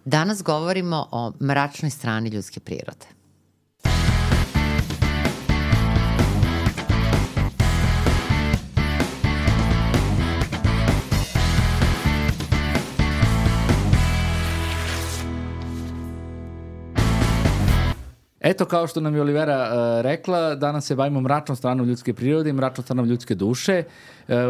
Danas govorimo o mračnoj strani ljudske prirode. Eto, kao što nam je Olivera rekla, danas se bavimo mračnom stranom ljudske prirode i mračnom stranom ljudske duše.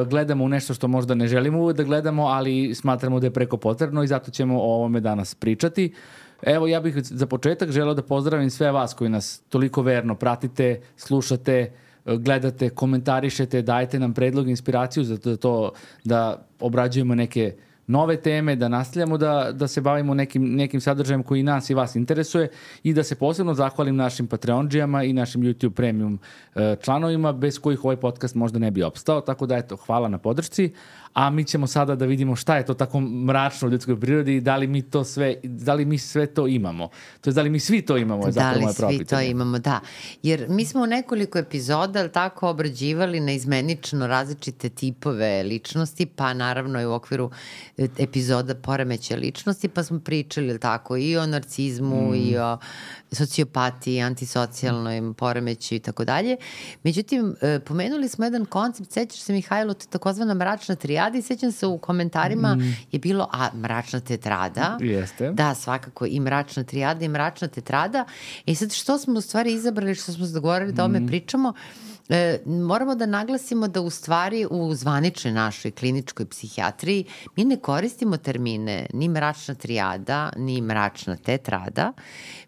Gledamo u nešto što možda ne želimo uvijek da gledamo, ali smatramo da je preko potrebno i zato ćemo o ovome danas pričati. Evo, ja bih za početak želeo da pozdravim sve vas koji nas toliko verno pratite, slušate, gledate, komentarišete, dajete nam predlog i inspiraciju za to da obrađujemo neke nove teme, da nastavljamo da se bavimo nekim sadržajem koji nas i vas interesuje i da se posebno zahvalim našim Patreondžijama i našim YouTube Premium članovima bez kojih ovaj podcast možda ne bi opstao. Tako da eto, hvala na podršci. A mi ćemo sada da vidimo šta je to tako mračno u ljudskoj prirodi i da li mi sve to imamo. To je da li mi svi to imamo. Je da li svi to imamo, da. Jer mi smo u nekoliko epizoda tako obrađivali neizmenično različite tipove ličnosti, pa naravno i u okviru epizoda poremećaja ličnosti, pa smo pričali tako i o narcizmu i o sociopatiji, antisocijalnoj poremećaju i tako dalje. Međutim, pomenuli smo jedan koncept, sećaš se Mihajlo, to je takozvana mračna trijada i sećam se u komentarima je bilo, mračna tetrada. Jeste. Da, svakako i mračna trijada i mračna tetrada. I sad što smo u stvari izabrali, što smo se dogovorili da o ome pričamo, moramo da naglasimo da u stvari u zvaničnoj našoj kliničkoj psihijatriji mi ne koristimo termine ni mračna trijada, ni mračna tetrada.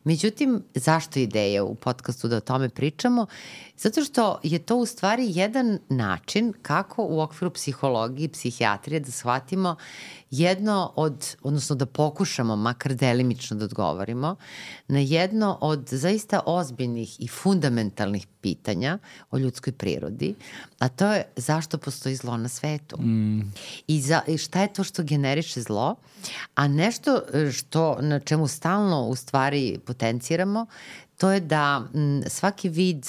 Međutim, zašto ideja u podcastu da o tome pričamo? Zato što je to u stvari jedan način kako u okviru psihologije i psihijatrije da shvatimo jedno odnosno da pokušamo makar delimično da odgovorimo na jedno od zaista ozbiljnih i fundamentalnih pitanja o ljudskoj prirodi, a to je zašto postoji zlo na svetu. I šta je to što generiše zlo, a nešto na čemu stalno u stvari potenciramo, to je da svaki vid,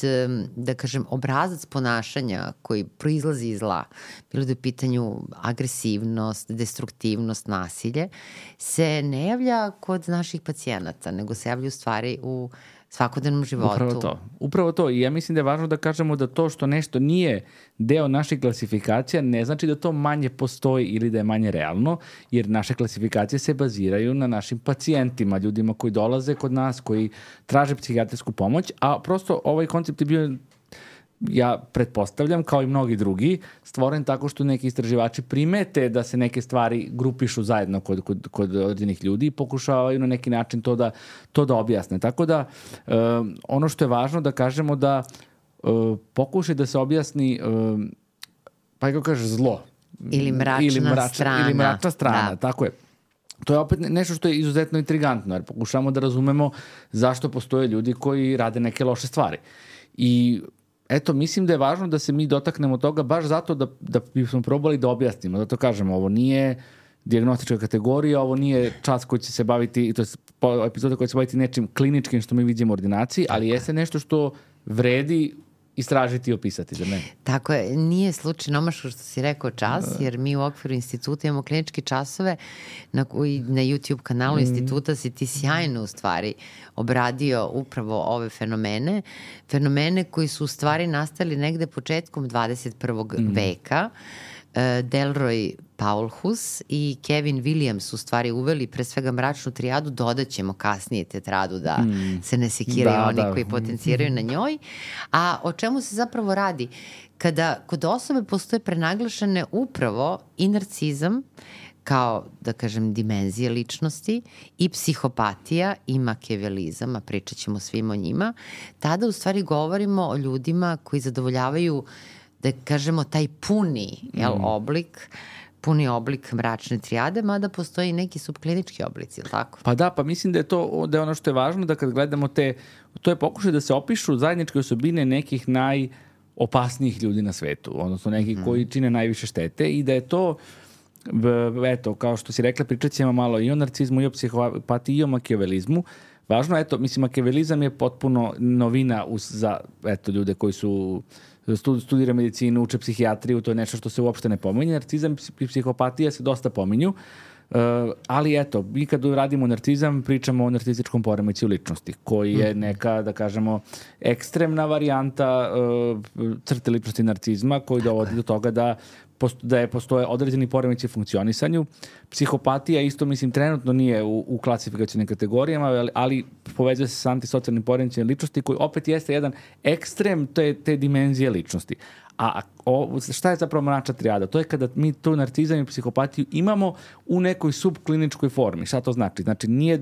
da kažem, obrazac ponašanja koji proizlazi iz zla, bilo da je u pitanju agresivnost, destruktivnost, nasilje, se ne javlja kod naših pacijenata, nego se javlja u stvari u svakodnevnom životu. Upravo to. I ja mislim da je važno da kažemo da to što nešto nije deo naših klasifikacija ne znači da to manje postoji ili da je manje realno, jer naše klasifikacije se baziraju na našim pacijentima, ljudima koji dolaze kod nas, koji traže psihijatrijsku pomoć, a prosto ovaj koncept je bio, ja pretpostavljam, kao i mnogi drugi, stvoren tako što neki istraživači primete da se neke stvari grupišu zajedno kod određenih ljudi i pokušavaju na neki način to da objasne. Tako da ono što je važno da kažemo da pokušaj da se objasni pa kako kaže zlo. Ili mračna strana. Da. Tako je. To je opet nešto što je izuzetno intrigantno, jer pokušamo da razumemo zašto postoje ljudi koji rade neke loše stvari. I eto, mislim da je važno da se mi dotaknemo toga baš zato da bismo probali da objasnimo. Zato kažemo, ovo nije dijagnostička kategorija, ovo nije čas koji će se baviti, to je epizoda koja će se baviti nečim kliničkim što mi vidimo u ordinaciji, ali jeste nešto što vredi istražiti i opisati za mene. Tako je, nije slučajno omaško što si rekao čas, jer mi u okviru instituta imamo kliničke časove na YouTube kanalu instituta si ti sjajno u stvari obradio upravo ove fenomene koji su u stvari nastali negde početkom 21. veka. Delroy Paulhus i Kevin Williams u stvari uveli pre svega mračnu trijadu, dodat ćemo kasnije tetradu da se ne sekiraju oni koji potenciraju na njoj. A o čemu se zapravo radi? Kada kod osobe postoje prenaglašene upravo i narcizam, kao, da kažem, dimenzije ličnosti i psihopatija i makijavelizam, a pričat ćemo svim o njima, tada u stvari govorimo o ljudima koji zadovoljavaju, da kažemo, taj puni oblik mračne trijade, mada postoji i neki subklinički oblici, ili tako? Pa da, pa mislim da je to da je ono što je važno, da kad gledamo to je pokušaj da se opišu zajedničke osobine nekih najopasnijih ljudi na svetu, odnosno nekih koji čine najviše štete i da je to, eto, kao što si rekla, pričat ćemo malo i o narcizmu, i o psihopatiji, i o makijavelizmu. Važno, eto, mislim, makijavelizam je potpuno novina za, eto, ljude koji su studira medicinu, uče psihijatriju, to je nešto što se uopšte ne pominje. Narcizam i psihopatija se dosta pominju. Ali eto, mi kad radimo narcizam, pričamo o narcističkom poremećaju ličnosti, koji je neka, da kažemo, ekstremna varijanta crte ličnosti narcizma, koji dovodi do toga da postoje određeni poremeći funkcionisanju. Psihopatija isto, mislim, trenutno nije u klasifikacijnim kategorijama, ali povezuje se sa antisocijalnim poremećajem ličnosti, koji opet jeste jedan ekstrem te dimenzije ličnosti. A šta je zapravo mračna trijada? To je kada mi tu narcizam i psihopatiju imamo u nekoj subkliničkoj formi. Šta to znači? Znači, nije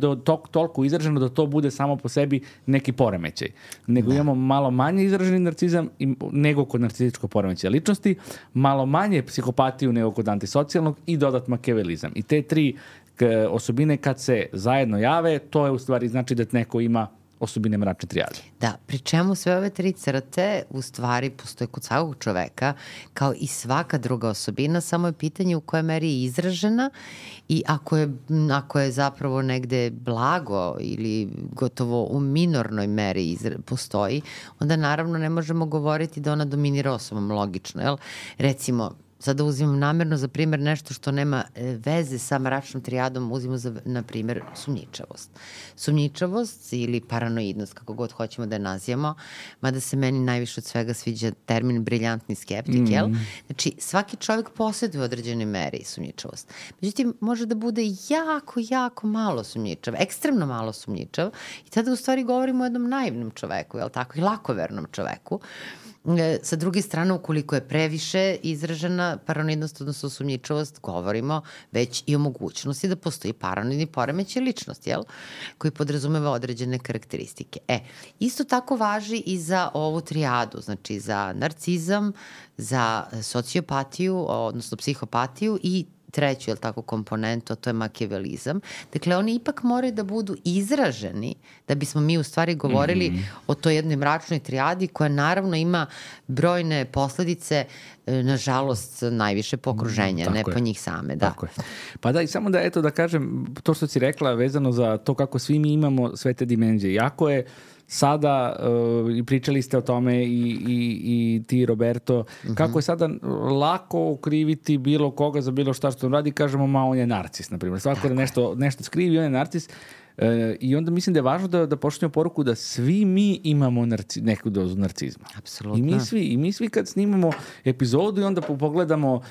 toliko izraženo da to bude samo po sebi neki poremećaj. Nego imamo malo manje izraženi narcizam nego kod narcističkog poremećaja ličnosti, malo manje psihopatiju nego kod antisocijalnog i dodat makiavelizam. I te tri osobine kad se zajedno jave, to je u stvari znači da neko ima osobine mračne trijade. Da, pri čemu sve ove tri crte u stvari postoje kod svakog čoveka kao i svaka druga osobina, samo je pitanje u kojoj meri je izražena i ako je zapravo negde blago ili gotovo u minornoj meri postoji, onda naravno ne možemo govoriti da ona dominira osobom, logično, jel? Recimo, sada uzimam namjerno za primjer nešto što nema veze sa mračnom trijadom, uzimamo na primjer sumnjičavost. Sumnjičavost ili paranoidnost, kako god hoćemo da je nazivamo, mada se meni najviše od svega sviđa termin briljantni skeptik, jel? Znači, svaki čovjek posjeduje u određenoj meri sumnjičavost. Međutim, može da bude jako malo sumnjičav, ekstremno malo sumnjičav i tada u stvari govorimo o jednom naivnom čoveku, jel tako, i lakovernom čoveku. Sa druge strane, ukoliko je previše izražena paranoidnost, odnosno sumnjičavost, govorimo već i o mogućnosti da postoji paranoidni poremećaj ličnosti, jel? Koji podrazumeva određene karakteristike. Isto tako važi i za ovu trijadu, znači za narcizam, za sociopatiju, odnosno psihopatiju i treću, jel tako, komponentu, a to je makiavelizam. Dakle, oni ipak moraju da budu izraženi da bismo mi u stvari govorili o toj jednoj mračnoj trijadi koja naravno ima brojne posledice, nažalost, najviše po okruženja, ne po njih same. Da. Tako je. Pa da, i samo da, eto, da kažem, to što si rekla vezano za to kako svi mi imamo sve te dimenzije. Jako je sada, i pričali ste o tome i ti, Roberto, kako je sada lako okriviti bilo koga za bilo šta što on radi, kažemo, ma on je narcis, na primjer. Svako da nešto skrivi, on je narcis. I onda mislim da je važno da pošaljemo poruku da svi mi imamo neku dozu narcizma. Apsolutno. I mi svi kad snimamo epizodu i onda pogledamo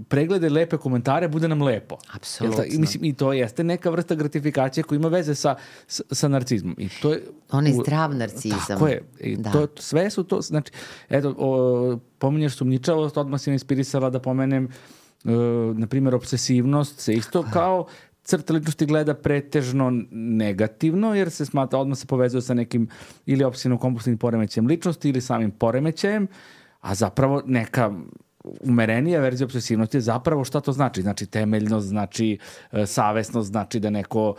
preglede, lepe komentare, bude nam lepo. Apsolutno. I to jeste neka vrsta gratifikacije koja ima veze sa narcizmom. I to je onaj zdrav narcizam. Tako je. Sve su to, znači, eto, pominješ sumnjičavost, odmah si me inspirisala da pomenem, na primjer, obsesivnost se isto kao crta ličnosti gleda pretežno negativno, jer se smatra, odmah se povezuje sa nekim ili opsesivno-kompulsivnim poremećajem ličnosti ili samim poremećajem, a zapravo neka umerenija verzija obsesivnosti je zapravo šta to znači. Znači temeljnost, znači savesnost, znači da neko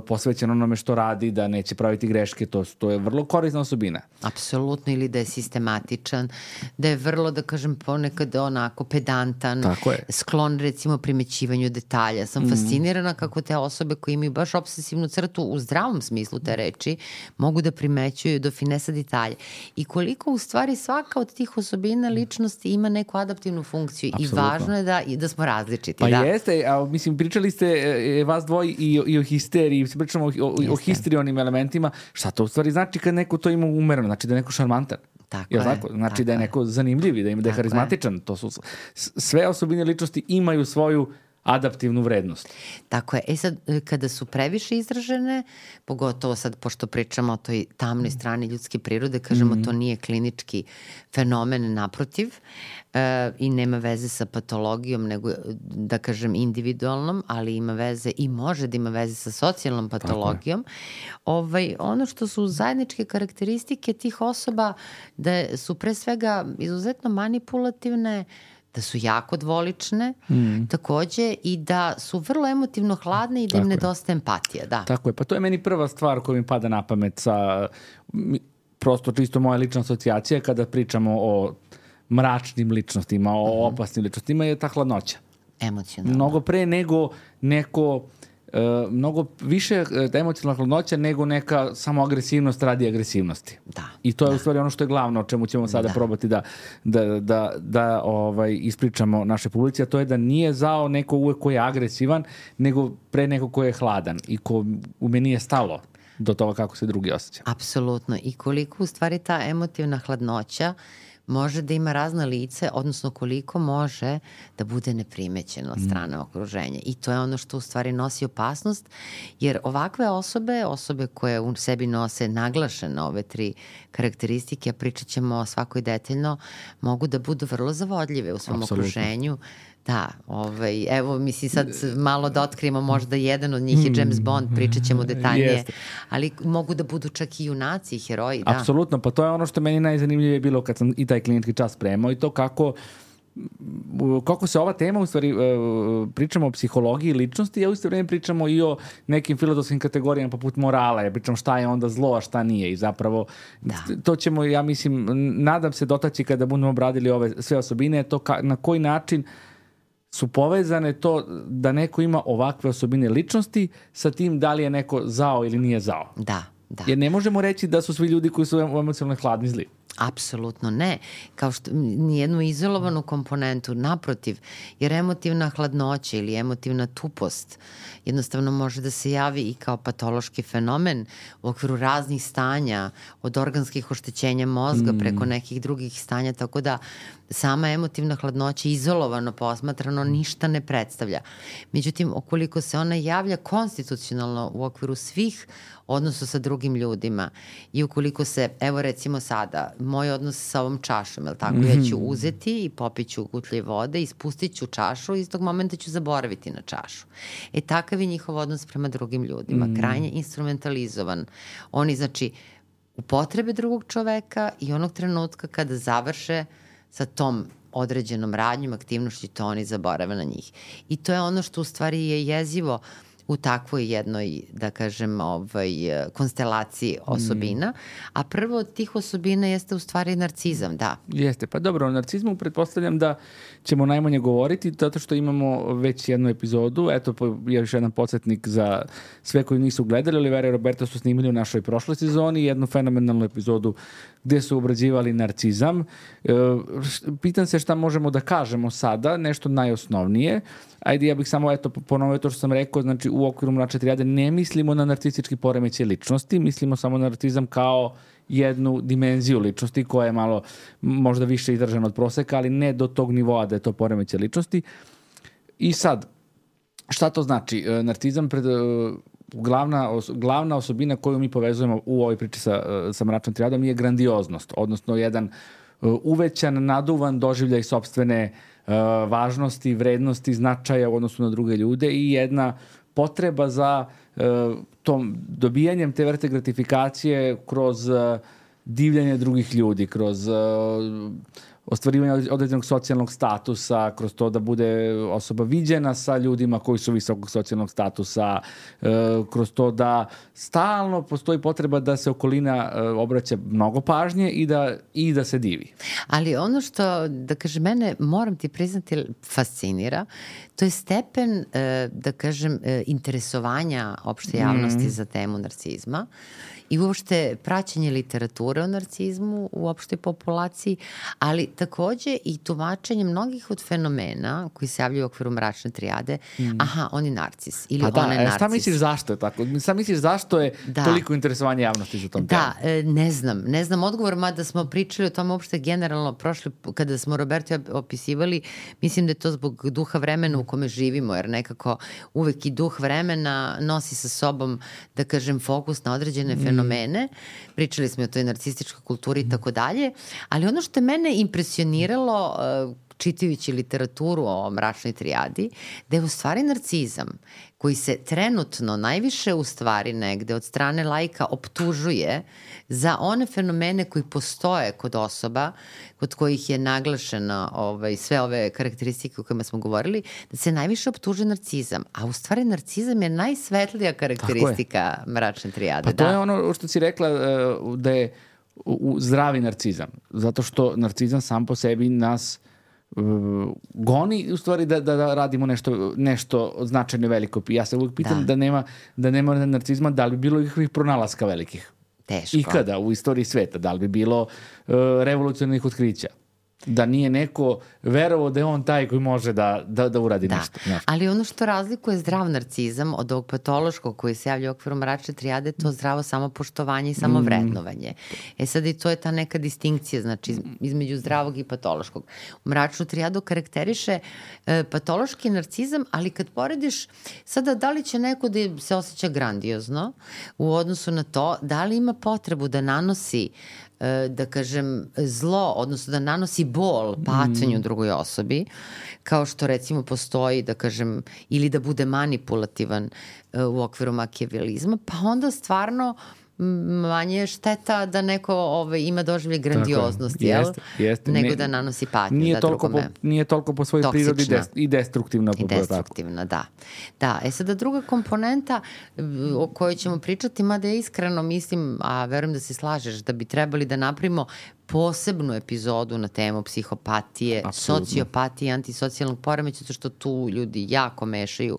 posvećen onome što radi, da neće praviti greške, to je vrlo korisna osobina. Apsolutno, ili da je sistematičan, da je vrlo, da kažem, ponekad onako pedantan, sklon recimo primećivanju detalja. Sam fascinirana kako te osobe koje imaju baš obsesivnu crtu u zdravom smislu te reči mogu da primećuju do finesa detalja. I koliko u stvari svaka od tih osobina ličnosti ima neku adaptivnu funkciju. Absolutno. I važno je da smo različiti. Pa jeste, a mislim, pričali ste vas dvoji i o histeriji, pričamo o histrionim elementima. Šta to u stvari znači kad neko to ima umereno? Znači da je neko šarmantan. Tako je. Znači da je neko zanimljiv, da je harizmatičan. To su sve osobine ličnosti imaju svoju adaptivnu vrednost. Tako je. Sad, kada su previše izražene, pogotovo sad, pošto pričamo o toj tamnoj strani ljudske prirode, kažemo to nije klinički fenomen, naprotiv, i nema veze sa patologijom, nego, da kažem, individualnom, ali ima veze i može da ima veze sa socijalnom patologijom. Ono što su zajedničke karakteristike tih osoba, da su pre svega izuzetno manipulativne, da su jako dvolične, takođe, i da su vrlo emotivno hladne i da im nedostaje empatija. Da. Tako je, pa to je meni prva stvar koja mi pada na pamet sa, prosto čisto moja lična asocijacija kada pričamo o mračnim ličnostima, o opasnim ličnostima, je ta hladnoća. Emocionalno. Mnogo pre nego neko mnogo više emocionalna hladnoća nego neka samo agresivnost radi agresivnosti. Da. I to je u stvari ono što je glavno, o čemu ćemo sada probati da ispričamo naše publici, a to je da nije zao neko uvek ko je agresivan, nego pre neko ko je hladan i ko u meni je stalo do toga kako se drugi osjeća. Apsolutno. I koliko u stvari ta emotivna hladnoća može da ima razna lice, odnosno koliko može da bude neprimećeno od strane okruženja. I to je ono što u stvari nosi opasnost, jer ovakve osobe koje u sebi nose naglašene ove 3 karakteristike, a pričat ćemo o svakoj detaljno, mogu da budu vrlo zavodljive u svom okruženju. Da, evo mislim sad malo da otkrijemo, možda jedan od njih je James Bond, pričat ćemo detaljnije, ali mogu da budu čak i junaci i heroji. Da. Apsolutno, pa to je ono što meni najzanimljivije bilo kad sam i taj klinički čas spremao i to kako se ova tema, u stvari pričamo o psihologiji i ličnosti, a u isto vreme pričamo i o nekim filozofskim kategorijama poput morala, pričamo šta je onda zlo, a šta nije i zapravo to ćemo, ja mislim, nadam se dotaći kada budemo obradili ove sve osobine, to na koji način su povezane to da neko ima ovakve osobine ličnosti sa tim da li je neko zao ili nije zao. Da. Jer ne možemo reći da su svi ljudi koji su emocionalno hladni zli. Apsolutno ne. Kao što nijednu izolovanu komponentu, naprotiv, jer emotivna hladnoća ili emotivna tupost jednostavno može da se javi i kao patološki fenomen u okviru raznih stanja, od organskih oštećenja mozga preko nekih drugih stanja, tako da sama emotivna hladnoća izolovano posmatrano ništa ne predstavlja. Međutim, ukoliko se ona javlja konstitucionalno u okviru svih odnosa sa drugim ljudima i ukoliko se, evo recimo sada, moj odnos sa ovom čašom, jel tako, ja ću uzeti i popit ću gutlje vode i spustit ću čašu i iz tog momenta ću zaboraviti na čašu. Takav je njihov odnos prema drugim ljudima, krajnje instrumentalizovan. Oni, znači, upotrebe drugog čoveka i onog trenutka kada završe sa tom određenom radnjom, aktivnošću, to oni zaborave na njih. I to je ono što u stvari je jezivo u takvoj jednoj, da kažem, konstelaciji osobina. A prvo od tih osobina jeste u stvari narcizam, da. Jeste, pa dobro, o narcizmu pretpostavljam da ćemo najmanje govoriti, zato što imamo već jednu epizodu. Eto, je još jedan podsjetnik za sve koji nisu gledali. Olivera i Roberto su snimili u našoj prošloj sezoni jednu fenomenalnu epizodu gde su obrađivali narcizam. Pitam se šta možemo da kažemo sada, nešto najosnovnije. Ajde, ja bih samo ponovio to što sam rekao, znači u okviru mračne trijade ne mislimo na narcistički poremećaj ličnosti, mislimo samo na narcizam kao jednu dimenziju ličnosti koja je malo možda više izdržana od proseka, ali ne do tog nivoa da je to poremećaj ličnosti. I sad, šta to znači? Narcizam glavna osobina koju mi povezujemo u ovoj priči sa mračnom trijadom je grandioznost, odnosno jedan uvećan, naduvan doživljaj sopstvene važnosti, vrednosti, značaja u odnosu na druge ljude i jedna potreba za tom dobijanjem te vrste gratifikacije kroz divljanje drugih ljudi, kroz ostvarivanje određenog socijalnog statusa, kroz to da bude osoba viđena sa ljudima koji su visokog socijalnog statusa, kroz to da stalno postoji potreba da se okolina obraća mnogo pažnje i da se divi. Ali ono što, da kažem, mene, moram ti priznati, fascinira, to je stepen, da kažem, interesovanja opšte javnosti za temu narcizma i uopšte praćenje literature o narcizmu u opštoj populaciji, ali takođe i tumačenje mnogih od fenomena koji se javljaju u okviru mračne trijade. Aha, on je narcis ili ona je narcis. Šta misliš zašto je tako? Šta misliš zašto je toliko interesovanje javnosti za tom temu? Ne znam odgovor, mada smo pričali o tome uopšte generalno prošli, kada smo Roberto opisivali, mislim da je to zbog duha vremena u kome živimo, jer nekako uvek i duh vremena nosi sa sobom, da kažem, fokus na određene fenomene. Pričali smo o toj narcističkoj kulturi i tako dalje, ali ono što je mene impresioniralo čitajući literaturu o mračnoj trijadi, da je u stvari narcizam koji se trenutno najviše u stvari negde od strane laika optužuje za one fenomene koji postoje kod osoba, kod kojih je naglašeno sve ove karakteristike o kojima smo govorili, da se najviše optužuje narcizam. A u stvari narcizam je najsvetlija karakteristika mračne trijade. Pa to je ono što si rekla da je zdravi narcizam. Zato što narcizam sam po sebi nas goni u stvari da radimo nešto značajno veliko. Ja se uvijek pitam da nema narcizma, da li bi bilo ikakvih pronalaska velikih? Teško. Ikada u istoriji sveta, da li bi bilo revolucionarnih otkrića? Da nije neko verovao da je on taj koji može da uradi nešto. Ali ono što razlikuje zdrav narcizam od ovog patološkog koji se javlja u okviru mračne trijade, to zdravo samopoštovanje i samovrednovanje. Sad i to je ta neka distinkcija, znači između zdravog i patološkog. Mračnu trijadu karakteriše patološki narcizam, ali kad porediš sada da li će neko da se osjeća grandiozno u odnosu na to, da li ima potrebu da nanosi da kažem zlo, odnosno da nanosi bol, patnju drugoj osobi, kao što recimo postoji, da kažem, ili da bude manipulativan u okviru makijavelizma, pa onda stvarno manje šteta da neko ima doživlje grandioznosti, nego da nanosi patnju drugome. Nije toliko po svojoj prirodi i destruktivna. I destruktivna, da. Da, sada druga komponenta o kojoj ćemo pričati, mada ja iskreno mislim, a verujem da se slažeš, da bi trebali da napravimo posebnu epizodu na temu psihopatije, sociopatije, antisocijalnog poremeća, zato što tu ljudi jako mešaju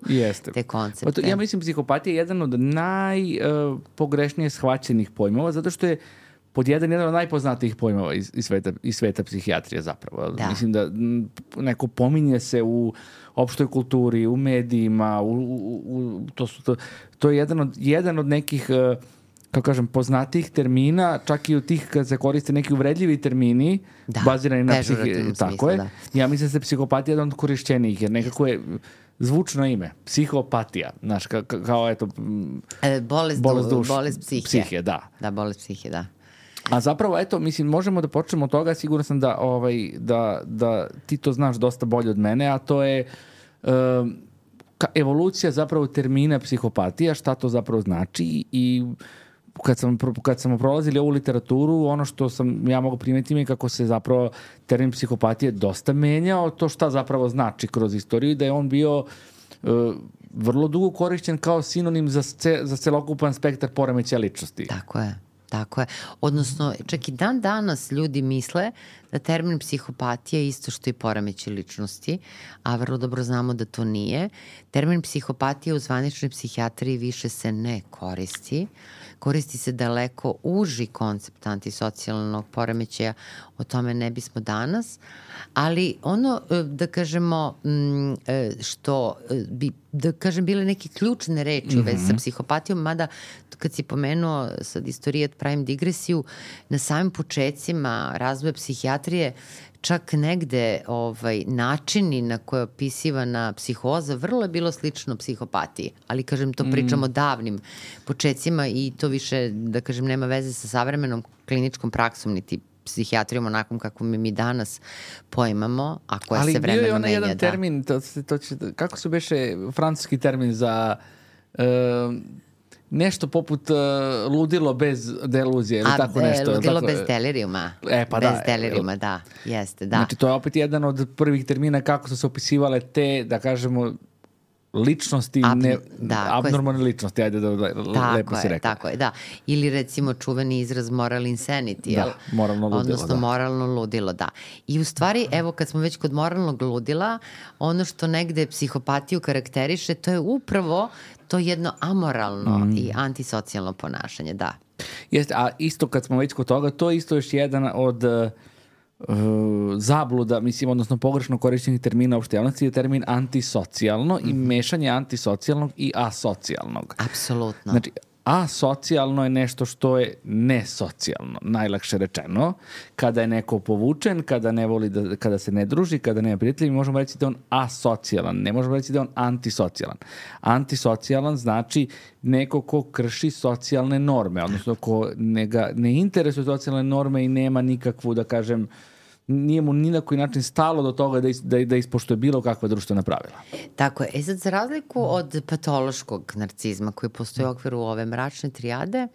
te koncepte. Ja mislim psihopatija je jedan od najpogrešnije shvaćenih pojmova, zato što je pod jedan od najpoznatijih pojmova iz sveta psihijatrije zapravo. Da. Mislim da neko pominje se u opštoj kulturi, u medijima, to je jedan od nekih kako kažem, poznatijih termina, čak i u tih kad se koriste neki uvredljivi termini, bazirani na tako je. Ja mislim da se psihopatija jedan od korišćenijih, jer nekako je zvučno ime. Psihopatija. Znaš, kao eto... Bolest psihe. Da, bolest psihe, da. A zapravo, eto, mislim, možemo da počnemo od toga, siguran sam da ti to znaš dosta bolje od mene, a to je evolucija zapravo termina psihopatija, šta to zapravo znači i kad smo prolazili ovu literaturu, ono što sam ja mogu primetiti je kako se zapravo termin psihopatije dosta menjao, to šta zapravo znači kroz istoriju i da je on bio vrlo dugo korišćen kao sinonim za celokupan spektar poremećaja ličnosti. Tako je. Odnosno, čak i dan danas ljudi misle da termin psihopatija je isto što i poremećaj ličnosti, a vrlo dobro znamo da to nije. Termin psihopatija u zvaničnoj psihijatriji više se ne koristi. Koristi se daleko uži koncept antisocijalnog poremećaja, o tome ne bismo danas, ali ono, da kažemo, što bi, da kažem, bile neke ključne reči u vezi sa psihopatijom, mada kad si pomenuo sad istoriju, pravim digresiju, na samim početcima razvoja psihijatrije, čak negde načini na koje je opisivana psihoza vrlo je bilo slično psihopatiji. Ali, kažem, to pričamo o davnim početcima i to više, da kažem, nema veze sa savremenom kliničkom praksom, niti psihijatrijom onakvom kako mi danas poimamo, a koja se vremeno menja. Ali bio je onaj jedan termin, kako se beše francuski termin za... nešto poput ludilo bez deluzije ili tako nešto. Ludilo bez delirijuma. Bez delirijuma, da. Jeste, da. Znači, to je opet jedan od prvih termina kako su se opisivale te, da kažemo, ličnosti, abnormalne ličnosti, ajde da lepo si rekao. Tako je, da. Ili recimo čuveni izraz moral insanity, da, moralno ludilo, odnosno moralno ludilo, da. I u stvari, evo, kad smo već kod moralnog ludila, ono što negde psihopatiju karakteriše, to je upravo to jedno amoralno i antisocijalno ponašanje, da. Jeste, a isto kad smo već kod toga, to je isto još jedan od zabluda, mislim, odnosno pogrešno korišćenih termina uopšte javnosti je termin antisocijalno i mešanje antisocijalnog i asocijalnog. Apsolutno. Znači, asocijalno je nešto što je nesocijalno, najlakše rečeno. Kada je neko povučen, kada ne voli kada se ne druži, kada nema prijatelja, mi možemo reći da je on asocijalan, ne možemo reći da je on antisocijalan. Antisocijalan znači neko ko krši socijalne norme, odnosno ko ne interesuje socijalne norme i nema nikakvu, da kažem, nije mu ni na koji način stalo do toga da ispoštuje bilo kakva društvena pravila. Tako je. Sad, za razliku od patološkog narcizma koji postoji u okviru ove mračne trijade,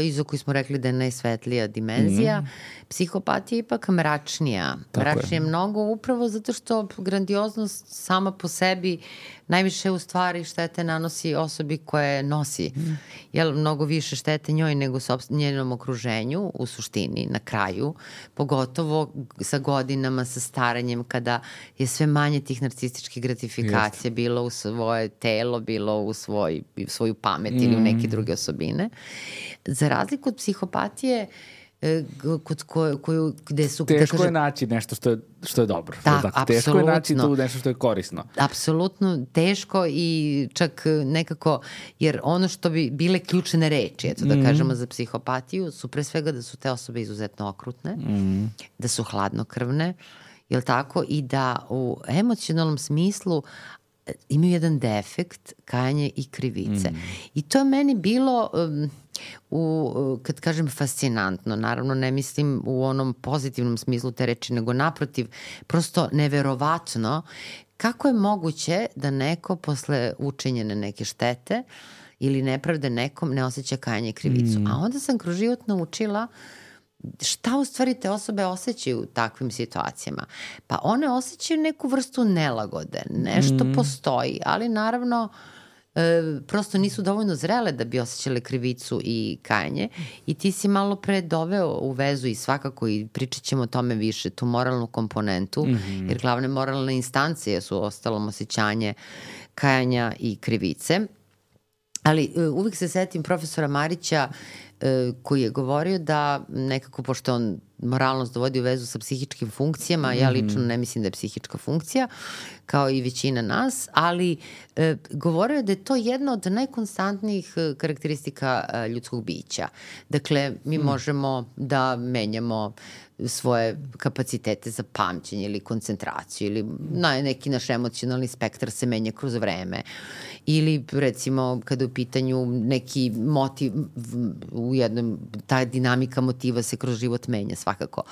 iza koji smo rekli da je najsvetlija dimenzija. Psihopatija je ipak mračnija. Mračnija je mnogo upravo zato što grandioznost sama po sebi najviše u stvari štete nanosi osobi koje nosi. Jel, mnogo više štete njoj nego njenom okruženju u suštini, na kraju. Pogotovo sa godinama, sa staranjem, kada je sve manje tih narcističkih gratifikacija bilo u svoje telo, bilo u svoju pamet ili u neke druge osobine. Za razliku od psihopatije, gde su... Teško je naći nešto što je dobro. Da, apsolutno. Teško je naći tu nešto što je korisno. Apsolutno teško i čak nekako, jer ono što bi bile ključne reči, eto da kažemo za psihopatiju, su pre svega da su te osobe izuzetno okrutne, da su hladnokrvne, jel tako, i da u emocionalnom smislu imaju jedan defekt, kajanje i krivice. I to je meni bilo, kad kažem fascinantno, naravno ne mislim u onom pozitivnom smislu te reči, nego naprotiv, prosto neverovatno kako je moguće da neko posle učinjene neke štete ili nepravde nekom ne osjeća kajanje i krivicu. A onda sam kroz život naučila šta u stvari te osobe osjećaju u takvim situacijama. Pa one osjećaju neku vrstu nelagode, nešto postoji, ali naravno prosto nisu dovoljno zrele da bi osjećale krivicu i kajanje i ti si malo pre doveo u vezu i svakako i pričat ćemo o tome više, tu moralnu komponentu, jer glavne moralne instancije su ostalom osjećanje kajanja i krivice. Ali uvijek se setim profesora Marića koji je govorio da nekako, pošto on moralnost dovodi u vezu sa psihičkim funkcijama, ja lično ne mislim da je psihička funkcija, kao i većina nas, ali govorio je da je to jedna od najkonstantnijih karakteristika ljudskog bića. Dakle, mi možemo da menjamo svoje kapacitete za pamćenje ili koncentraciju ili neki naš emocionalni spektar se menja kroz vreme. Ili recimo kada je u pitanju neki motiv u jednom, ta dinamika motiva se kroz život menja svakako.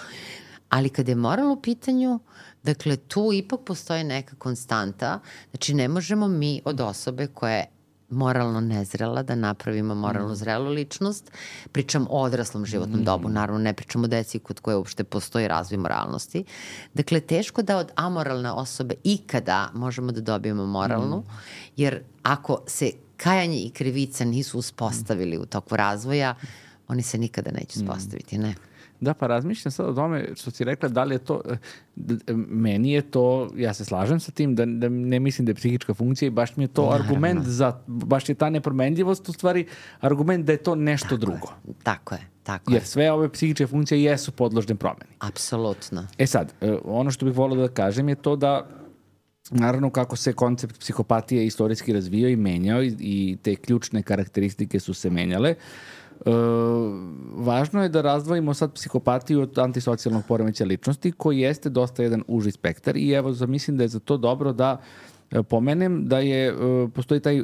Ali kada je moral u pitanju, dakle tu ipak postoji neka konstanta, znači ne možemo mi od osobe koja je moralno nezrela da napravimo moralno zrelu ličnost. Pričam o odraslom životnom dobu, naravno ne pričam o deci kod koje uopšte postoji razvoj moralnosti. Dakle, teško da od amoralne osobe ikada možemo da dobijemo moralnu, jer ako se kajanje i krivica nisu uspostavili u toku razvoja, oni se nikada neće uspostaviti, ne? Da, pa razmišljam sad o tome što si rekla, da li je to, meni je to, ja se slažem sa tim, da ne mislim da je psihička funkcija i baš mi je to argument za, baš je ta nepromenljivost u stvari argument da je to nešto drugo. Tako je. Jer sve ove psihičke funkcije jesu podložne promeni. Apsolutno. Sad, ono što bih volio da kažem je to da naravno kako se koncept psihopatije istorijski razvijao i menjao i te ključne karakteristike su se menjale. Važno je da razdvojimo sad psihopatiju od antisocijalnog poremećaja ličnosti koji jeste dosta jedan uži spektar i evo mislim da je za to dobro da pomenem da postoji taj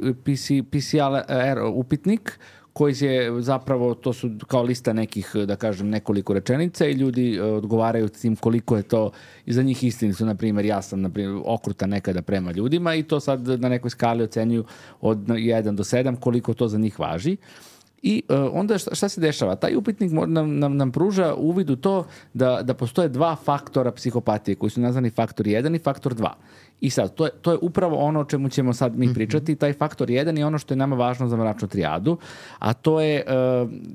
PCLR upitnik koji je zapravo, to su kao lista nekih, da kažem, nekoliko rečenica i ljudi odgovaraju s tim koliko je to i za njih istinicu. Na primjer, ja sam okrutan nekada prema ljudima i to sad na nekoj skali ocenjuju od 1 do 7 koliko to za njih važi. I onda šta se dešava? Taj upitnik nam pruža uvid u to da postoje dva faktora psihopatije koji su nazvani faktor 1 i faktor 2. I sad, to je upravo ono o čemu ćemo sad mi pričati. Taj faktor 1 je ono što je nama važno za mračnu trijadu, a to je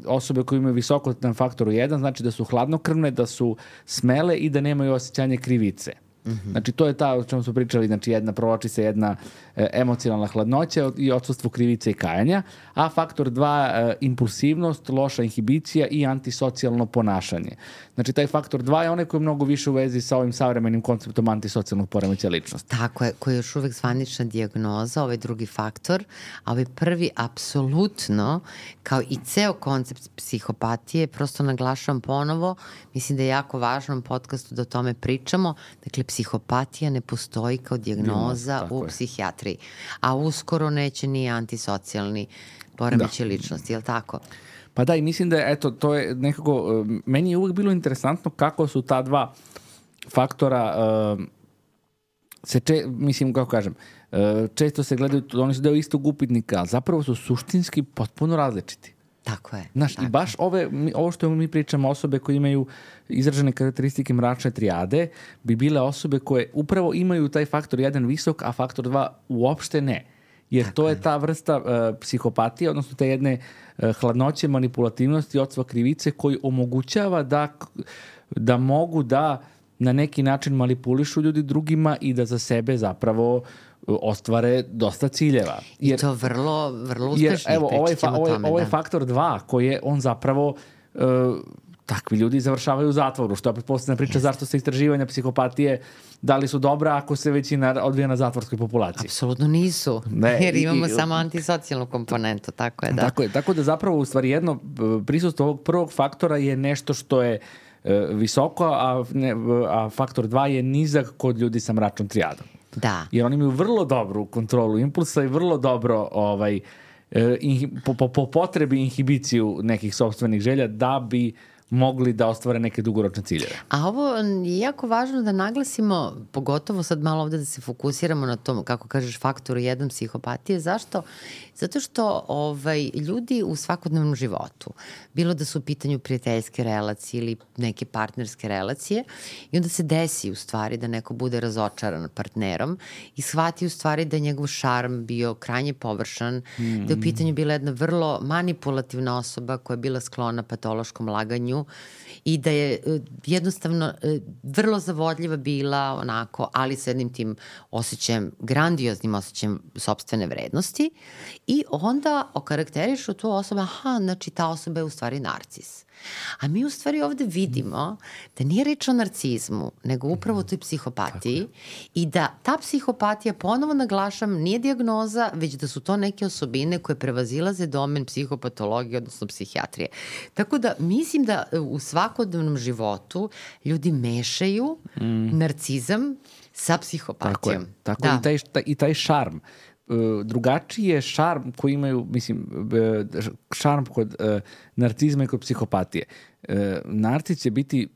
osobe koje imaju visoko na faktoru 1, znači da su hladnokrvne, da su smele i da nemaju osjećanje krivice. Znači, to je ta o čemu smo pričali, znači provlači se jedna emocionalna hladnoća i odsustvo krivice i kajanja, a faktor 2 impulsivnost, loša inhibicija i antisocijalno ponašanje. Znači, taj faktor 2 je onaj koji je mnogo više u vezi sa ovim savremenim konceptom antisocijalnog poremećaja ličnosti. Tako je, koji je još uvek zvanična dijagnoza, ovaj drugi faktor, a ovaj prvi apsolutno, kao i ceo koncept psihopatije, prosto naglašavam ponovo, mislim da je jako važno u podcastu da o tome pričamo. Dakle, psihopatija ne postoji kao dijagnoza u psihijatriji, a uskoro neće ni antisocijalni poremećaj ličnosti, je li tako? Pa da, i mislim da je, eto, to je nekako, meni je uvijek bilo interesantno kako su ta dva faktora, mislim, kako kažem, često se gledaju, oni su deo istog upitnika, ali zapravo su suštinski potpuno različiti. Tako je. Znaš, i baš ovo što mi pričamo, osobe koje imaju izražene karakteristike mračne trijade, bi bile osobe koje upravo imaju taj faktor 1 visok, a faktor 2 uopšte ne. Jer tako to je ta vrsta psihopatije, odnosno te jedne hladnoće, manipulativnosti, odstva krivice koji omogućava da mogu da na neki način manipulišu ljudi drugima i da za sebe zapravo ostvare dosta ciljeva. Jer, i to vrlo, vrlo uspešno. Evo, ovo je faktor 2 koji je on zapravo takvi ljudi završavaju u zatvoru, što je pretpostavljena priča zašto se istraživanja psihopatije da li su dobra ako se većina odvija na zatvorskoj populaciji. Apsolutno nisu, jer imamo samo antisocijalnu komponentu, tako je, da. Tako da zapravo u stvari jedno prisustvo ovog prvog faktora je nešto što je visoko, a faktor 2 je nizak kod ljudi sa mračnom trijadom. Da. Jer oni imaju vrlo dobru kontrolu impulsa i vrlo dobro po potrebi inhibiciju nekih sopstvenih želja da bi mogli da ostvare neke dugoročne ciljeve. A ovo je jako važno da naglasimo, pogotovo sad malo ovde da se fokusiramo na tom, kako kažeš, faktoru 1 psihopatije. Zašto? Zato što ljudi u svakodnevnom životu, bilo da su u pitanju prijateljske relacije ili neke partnerske relacije, i onda se desi u stvari da neko bude razočaran partnerom i shvati u stvari da je njegov šarm bio krajnje površan, da je u pitanju bila jedna vrlo manipulativna osoba koja je bila sklona patološkom laganju i da je jednostavno vrlo zavodljiva bila onako, ali sa jednim tim osjećajem, grandioznim osjećajem sopstvene vrednosti, i onda okarakterišu tu osobu, znači ta osoba je u stvari narcis. A mi u stvari ovde vidimo da nije reč o narcizmu, nego upravo o toj psihopatiji i da ta psihopatija, ponovo naglašam, nije dijagnoza, već da su to neke osobine koje prevazilaze domen psihopatologije, odnosno psihijatrije. Tako da mislim da u svakodnevnom životu ljudi mešaju narcizam sa psihopatijom. Tako i taj šarm. Drugačiji je šarm koji imaju, šarm kod narcizma i kod psihopatije. Narcis će biti,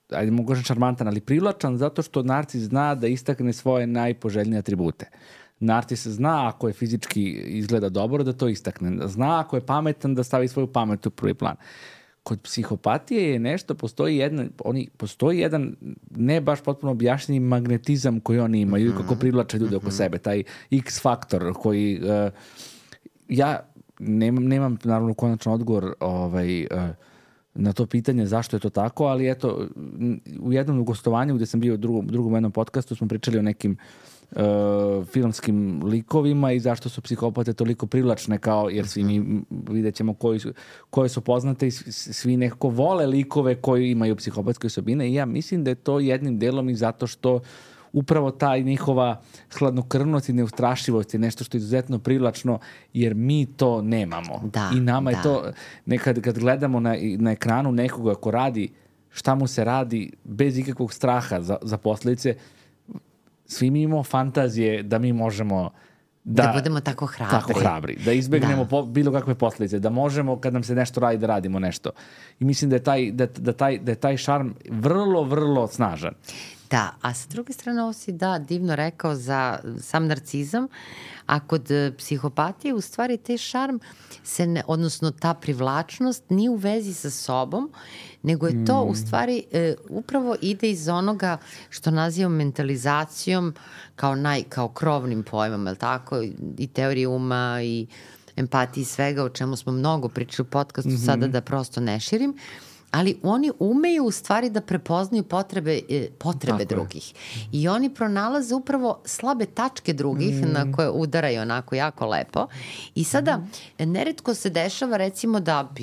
ajde mogu kažem šarmantan, ali privlačan zato što narcis zna da istakne svoje najpoželjnije atribute. Narcis zna ako je fizički izgleda dobro da to istakne. Zna ako je pametan da stavi svoju pamet u prvi plan. Kod psihopatije je nešto, postoji jedan ne baš potpuno objašnjeni magnetizam koji oni imaju i kako privlače ljude oko sebe, taj X faktor koji ja nemam naravno konačan odgovor na to pitanje zašto je to tako, ali eto, u jednom gostovanju gde sam bio u drugom jednom podcastu smo pričali o nekim filmskim likovima i zašto su psihopate toliko privlačne, kao, jer svi mi vidjet ćemo koje su poznate i svi nekako vole likove koji imaju psihopatske osobine, i ja mislim da je to jednim delom i zato što upravo ta njihova hladnokrvnost i neustrašivost je nešto što je izuzetno privlačno, jer mi to nemamo. I nama je to, kad gledamo na ekranu nekoga ko radi šta mu se radi bez ikakvog straha za posledice, svi mi imamo fantazije da mi možemo da budemo tako hrabri. Da izbegnemo bilo kakve posljedice, da možemo kad nam se nešto radi da radimo nešto. I mislim da je taj šarm vrlo, vrlo snažan. Da, a sa druge strane ovo si divno rekao za sam narcizam, a kod psihopatije u stvari taj šarm odnosno ta privlačnost nije u vezi sa sobom, nego je to u stvari upravo ide iz onoga što nazivamo mentalizacijom kao krovnim pojmom, je li tako? I teorije uma i empatiji, svega o čemu smo mnogo pričali u podcastu, sada da prosto ne širim. Ali oni umeju u stvari da prepoznaju potrebe drugih. I oni pronalaze upravo slabe tačke drugih na koje udaraju onako jako lepo. I sada neretko se dešava recimo da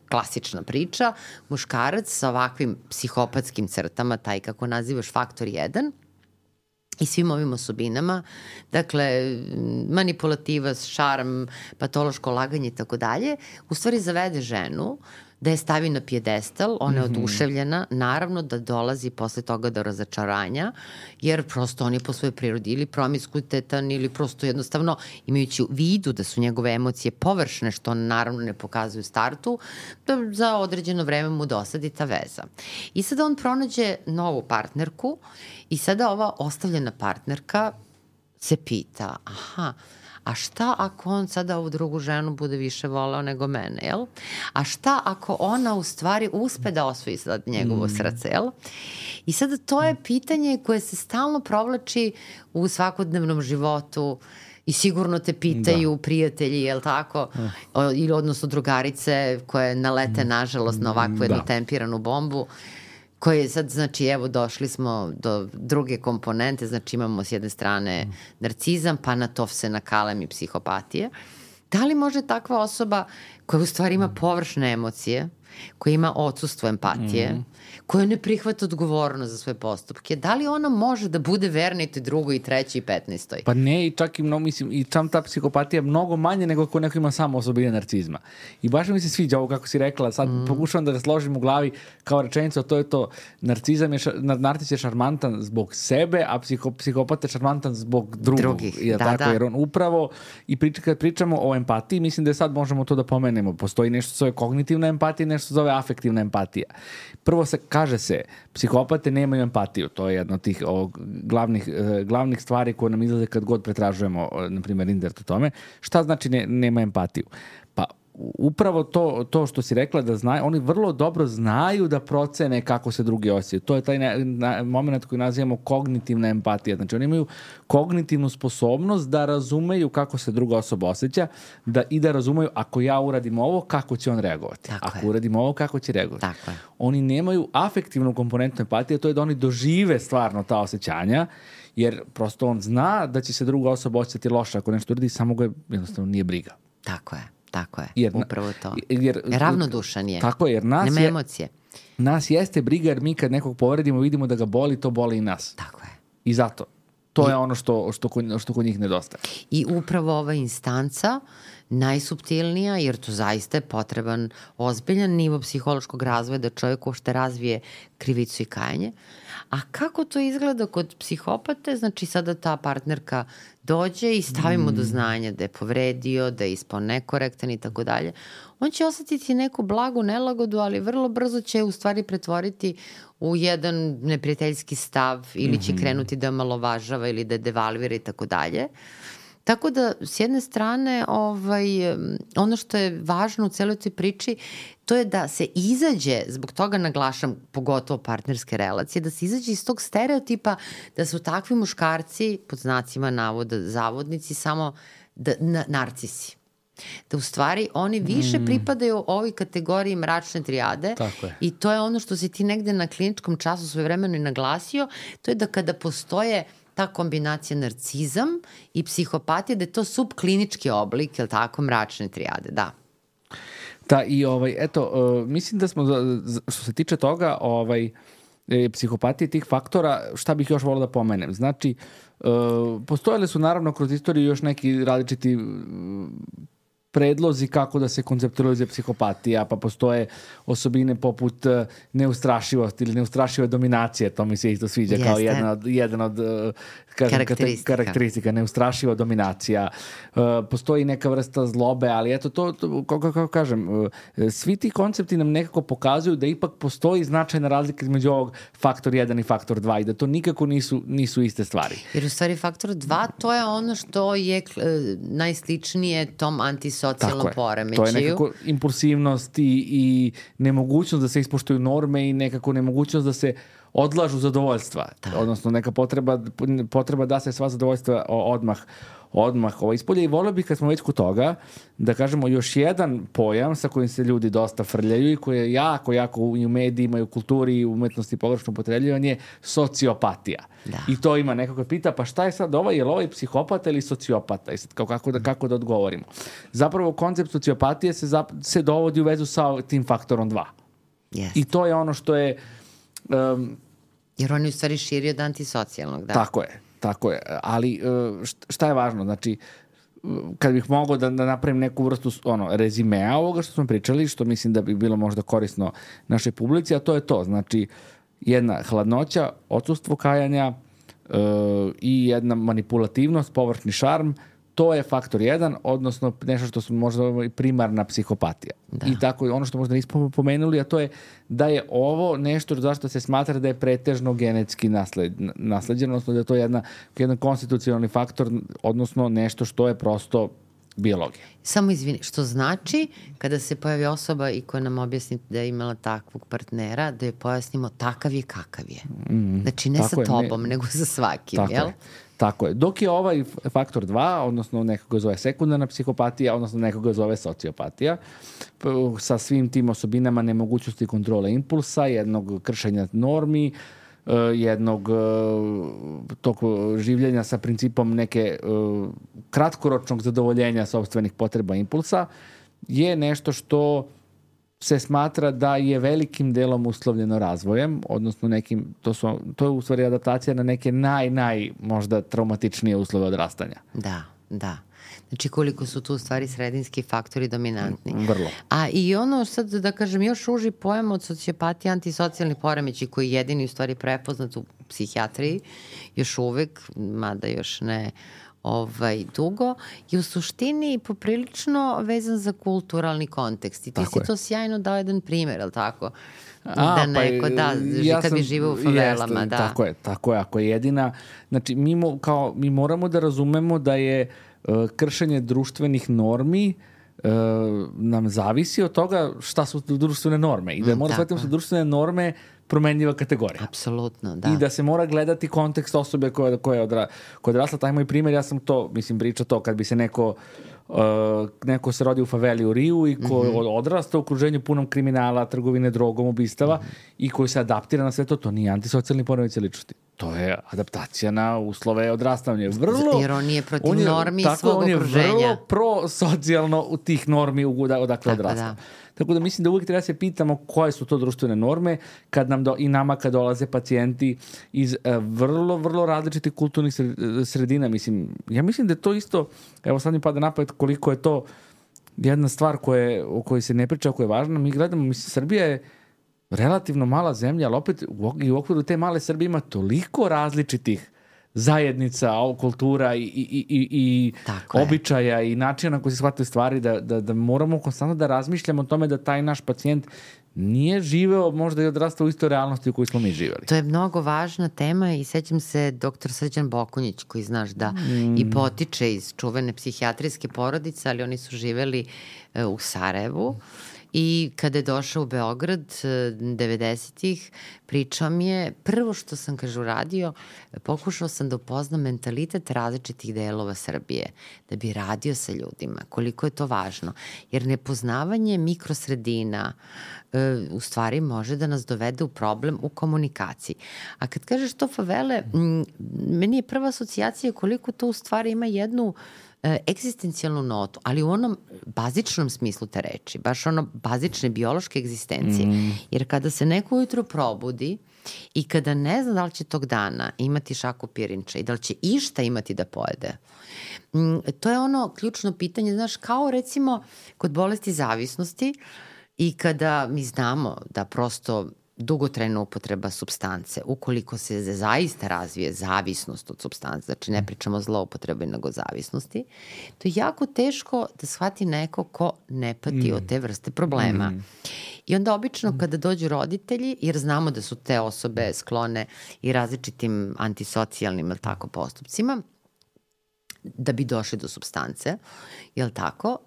klasična priča, muškarac sa ovakvim psihopatskim crtama, taj kako nazivaš faktor 1, i svim ovim osobinama, dakle, manipulativa, šarm, patološko laganje i tako dalje, u stvari zavede ženu, da je stavi na pijedestal, ona je oduševljena, naravno da dolazi posle toga do razočaranja, jer prosto on je po svojoj prirodi ili promiskuitetan ili prosto jednostavno imajući u vidu da su njegove emocije površne, što on naravno ne pokazuje u startu, da za određeno vreme mu dosadi ta veza. I sada on pronađe novu partnerku i sada ova ostavljena partnerka se pita, a šta ako on sada ovu drugu ženu bude više voleo nego mene, jel? A šta ako ona u stvari uspe da osvoji sad njegovo srce, jel? I sada to je pitanje koje se stalno provlači u svakodnevnom životu i sigurno te pitaju prijatelji, jel tako? Ili odnosno drugarice koje nalete nažalost na ovakvu jednu tempiranu bombu, koje sad, znači, evo, došli smo do druge komponente, znači imamo s jedne strane narcizam, pa na to se nakalem i psihopatije. Da li može takva osoba koja u stvari ima površne emocije, koja ima odsustvo empatije, koja ne prihvata odgovornost za svoje postupke, da li ona može da bude verna i drugoj i trećoj i 15. Pa ne, i čak i mnogo, mislim, i čam ta psihopatija mnogo manje nego ako neko ima samo osobine narcizma. I baš mi se sviđa ovo kako si rekla, sad pokušavam da ga složim u glavi kao rečenicu, to je to, narcis je šarmantan zbog sebe, a psihopat je šarmantan zbog drugih. Jer on upravo, i kad pričamo o empatiji, mislim da sad možemo to da pomenemo. Postoji nešto što zove kognitivna empatija, nešto što zove afektivna empatija. Prvo kaže se, psihopate nemaju empatiju, to je jedna od tih glavnih stvari koje nam izlaze kad god pretražujemo, na primjer, internet o tome. Šta znači nema empatiju? Pa upravo to što si rekla da znaju, oni vrlo dobro znaju da procene kako se drugi osjećaju. To je taj moment koji nazivamo kognitivna empatija. Znači oni imaju kognitivnu sposobnost da razumeju kako se druga osoba osjeća i da razumeju ako ja uradim ovo, kako će on reagovati. Ako uradim ovo, kako će reagovati. Oni nemaju afektivnu komponentu empatije, to je da oni dožive stvarno ta osjećanja, jer prosto on zna da će se druga osoba osjećati loše ako nešto uradi, samo ga jednostavno nije briga. Tako je, upravo to. Ravnodušan je. Tako je, jer nema emocije. Nas jeste briga, jer mi kad nekog povredimo, vidimo da ga boli, to boli i nas. Tako je. I zato. To je ono što kod njih nedostaje. I upravo ova instanca, najsuptilnija, jer to zaista je potreban ozbiljan nivo psihološkog razvoja da čovjek uopšte razvije krivicu i kajanje. A kako to izgleda kod psihopate? Znači sada ta partnerka dođe i stavimo do znanja da je povredio, da je ispao nekorektan i tako dalje. On će osetiti neku blagu nelagodu, ali vrlo brzo će u stvari pretvoriti u jedan neprijateljski stav ili će krenuti da omalovažava ili da devalvira i tako dalje. Tako da, s jedne strane, ono što je važno u celoj toj priči, to je da se izađe, zbog toga naglašam pogotovo partnerske relacije, da se izađe iz tog stereotipa da su takvi muškarci, pod znacima navoda, zavodnici, samo narcisi. Da u stvari oni više pripadaju ovoj kategoriji mračne trijade i to je ono što si ti negde na kliničkom času svojevremeno i naglasio, to je da kada postoje ta kombinacija narcizam i psihopatija, da je to subklinički oblik, jel tako, mračne trijade, da. Da, i eto, mislim da smo, što se tiče toga, psihopatije tih faktora, šta bih još volio da pomenem? Znači, postojale su naravno kroz istoriju još neki različiti predlozi kako da se konceptualizuje psihopatija, pa postoje osobine poput neustrašivosti ili neustrašive dominacije, to mi se isto sviđa kao jedan od karakteristika, neustrašiva dominacija. Postoji neka vrsta zlobe, ali eto to kako kažem, svi ti koncepti nam nekako pokazuju da ipak postoji značajna razlika između ovog faktor 1 i faktor 2 i da to nikako nisu iste stvari. Jer u stvari faktor 2 to je ono što je najsličnije tom antisocijalnom poremećaju. To je nekako impulsivnost i nemogućnost da se ispoštuju norme i nekako nemogućnost da se odlažu zadovoljstva. Odnosno neka potreba da se sva zadovoljstva odmah ispolje. I volio bih kad smo već kod toga da kažemo još jedan pojam sa kojim se ljudi dosta frljaju i koji je jako i u medijima i u kulturi i u umetnosti pogrešno upotrebljavanje, sociopatija. I to ima neko koji pita, pa šta je sad je li ovaj psihopata ili sociopata? I sad kako da odgovorimo? Zapravo koncept sociopatije se dovodi u vezu sa tim faktorom 2. I to je ono što je jer on je u stvari širi od antisocijalnog, da. Tako je. Ali šta je važno? Znači, kad bih mogao da napravim neku vrstu rezimea ovoga što smo pričali, što mislim da bi bilo možda korisno našoj publici, a to je to. Znači, jedna hladnoća, odsustvo kajanja i jedna manipulativnost, površni šarm, to je faktor 1, odnosno nešto što su možda primarna psihopatija. Da. I tako ono što možda nismo pomenuli, a to je da je ovo nešto zašto se smatra da je pretežno genetski nasleđeno, odnosno da je to jedan konstitucionalni faktor, odnosno nešto što je prosto biologija. Samo izvini, što znači kada se pojavi osoba i koja nam objasni da je imala takvog partnera, da je pojasnimo takav je kakav je. Znači ne sa tobom, nego sa svakim, tako jel? Je. Tako je. Dok je ovaj faktor 2, odnosno nekoga zove sekundarna psihopatija, odnosno nekoga zove sociopatija, sa svim tim osobinama nemogućnosti kontrole impulsa, jednog kršenja normi, jednog tog življenja sa principom neke kratkoročnog zadovoljenja sopstvenih potreba impulsa, je nešto što se smatra da je velikim delom uslovljeno razvojem, odnosno nekim, to je u stvari adaptacija na neke naj možda traumatičnije uslove odrastanja. Da. Znači koliko su tu u stvari sredinski faktori dominantni. Vrlo. A i ono sad da kažem još uži pojam od sociopatije, antisocijalni poremeći koji je jedini u stvari prepoznat u psihijatriji još uvek, mada još ne dugo, je u suštini poprilično vezan za kulturalni kontekst. I ti si to sjajno dao jedan primjer, ali tako? Da neko, kad bi živeo u favelama. Jeste, tako je. Ako je jedina, znači mi moramo da razumemo da je kršenje društvenih normi nam zavisi od toga šta su društvene norme i da mora shvatiti su društvene norme promenljiva kategorija. Apsolutno, da. I da se mora gledati kontekst osobe koja je odrasla. Taj moj primjer, ja sam to, pričao to, kad bi se neko se rodi u faveli u Riju i ko odrasta u okruženju punom kriminala, trgovine drogom, ubistava i koji se adaptira na sve to nije antisocijalni poremećaj ličnosti. To je adaptacija na uslove odrastanja. Jer on nije protiv normi svog okruženja. On je vrlo prosocijalno u tih normi odakle odrasta. Tako da mislim da uvijek treba se pitamo koje su to društvene norme kad nama kad dolaze pacijenti iz vrlo, vrlo različitih kulturnih sredina. Ja mislim da je to isto, evo sad mi pada na pamet koliko je to jedna stvar o kojoj se ne priča, koja je važna. Mi gledamo, Srbija je relativno mala zemlja, ali opet i u okviru te male Srbije ima toliko različitih zajednica, kultura i običaja i načina na koji se shvataju stvari da moramo konstantno da razmišljamo o tome da taj naš pacijent nije živeo možda i odrastao u istoj realnosti u kojoj smo mi živeli. To je mnogo važna tema i sećam se dr. Srđan Bokunjić koji znaš da i potiče iz čuvene psihijatrijske porodice, ali oni su živeli u Sarajevu. I kada je došao u Beograd 90-ih, pričao mi je, prvo što sam, kaže, uradio, pokušao sam da upoznam mentalitet različitih delova Srbije, da bi radio sa ljudima, koliko je to važno. Jer nepoznavanje mikrosredina u stvari može da nas dovede u problem u komunikaciji. A kad kažeš to favele, meni je prva asocijacija koliko to u stvari ima jednu egzistencijalnu notu, ali u onom bazičnom smislu te reči, baš ono bazične biološke egzistencije. Jer kada se neko ujutro probudi i kada ne zna da li će tog dana imati šaku pirinča i da li će išta imati da pojede, to je ono ključno pitanje, znaš, kao recimo kod bolesti zavisnosti i kada mi znamo da prosto dugotrajna upotreba supstance, ukoliko se zaista razvije zavisnost od supstance, znači ne pričamo o zloupotrebi nego zavisnosti, to je jako teško da shvati neko ko ne pati od te vrste problema. I onda obično kada dođu roditelji, jer znamo da su te osobe sklone i različitim antisocijalnim postupcima, da bi došli do supstance, jel tako?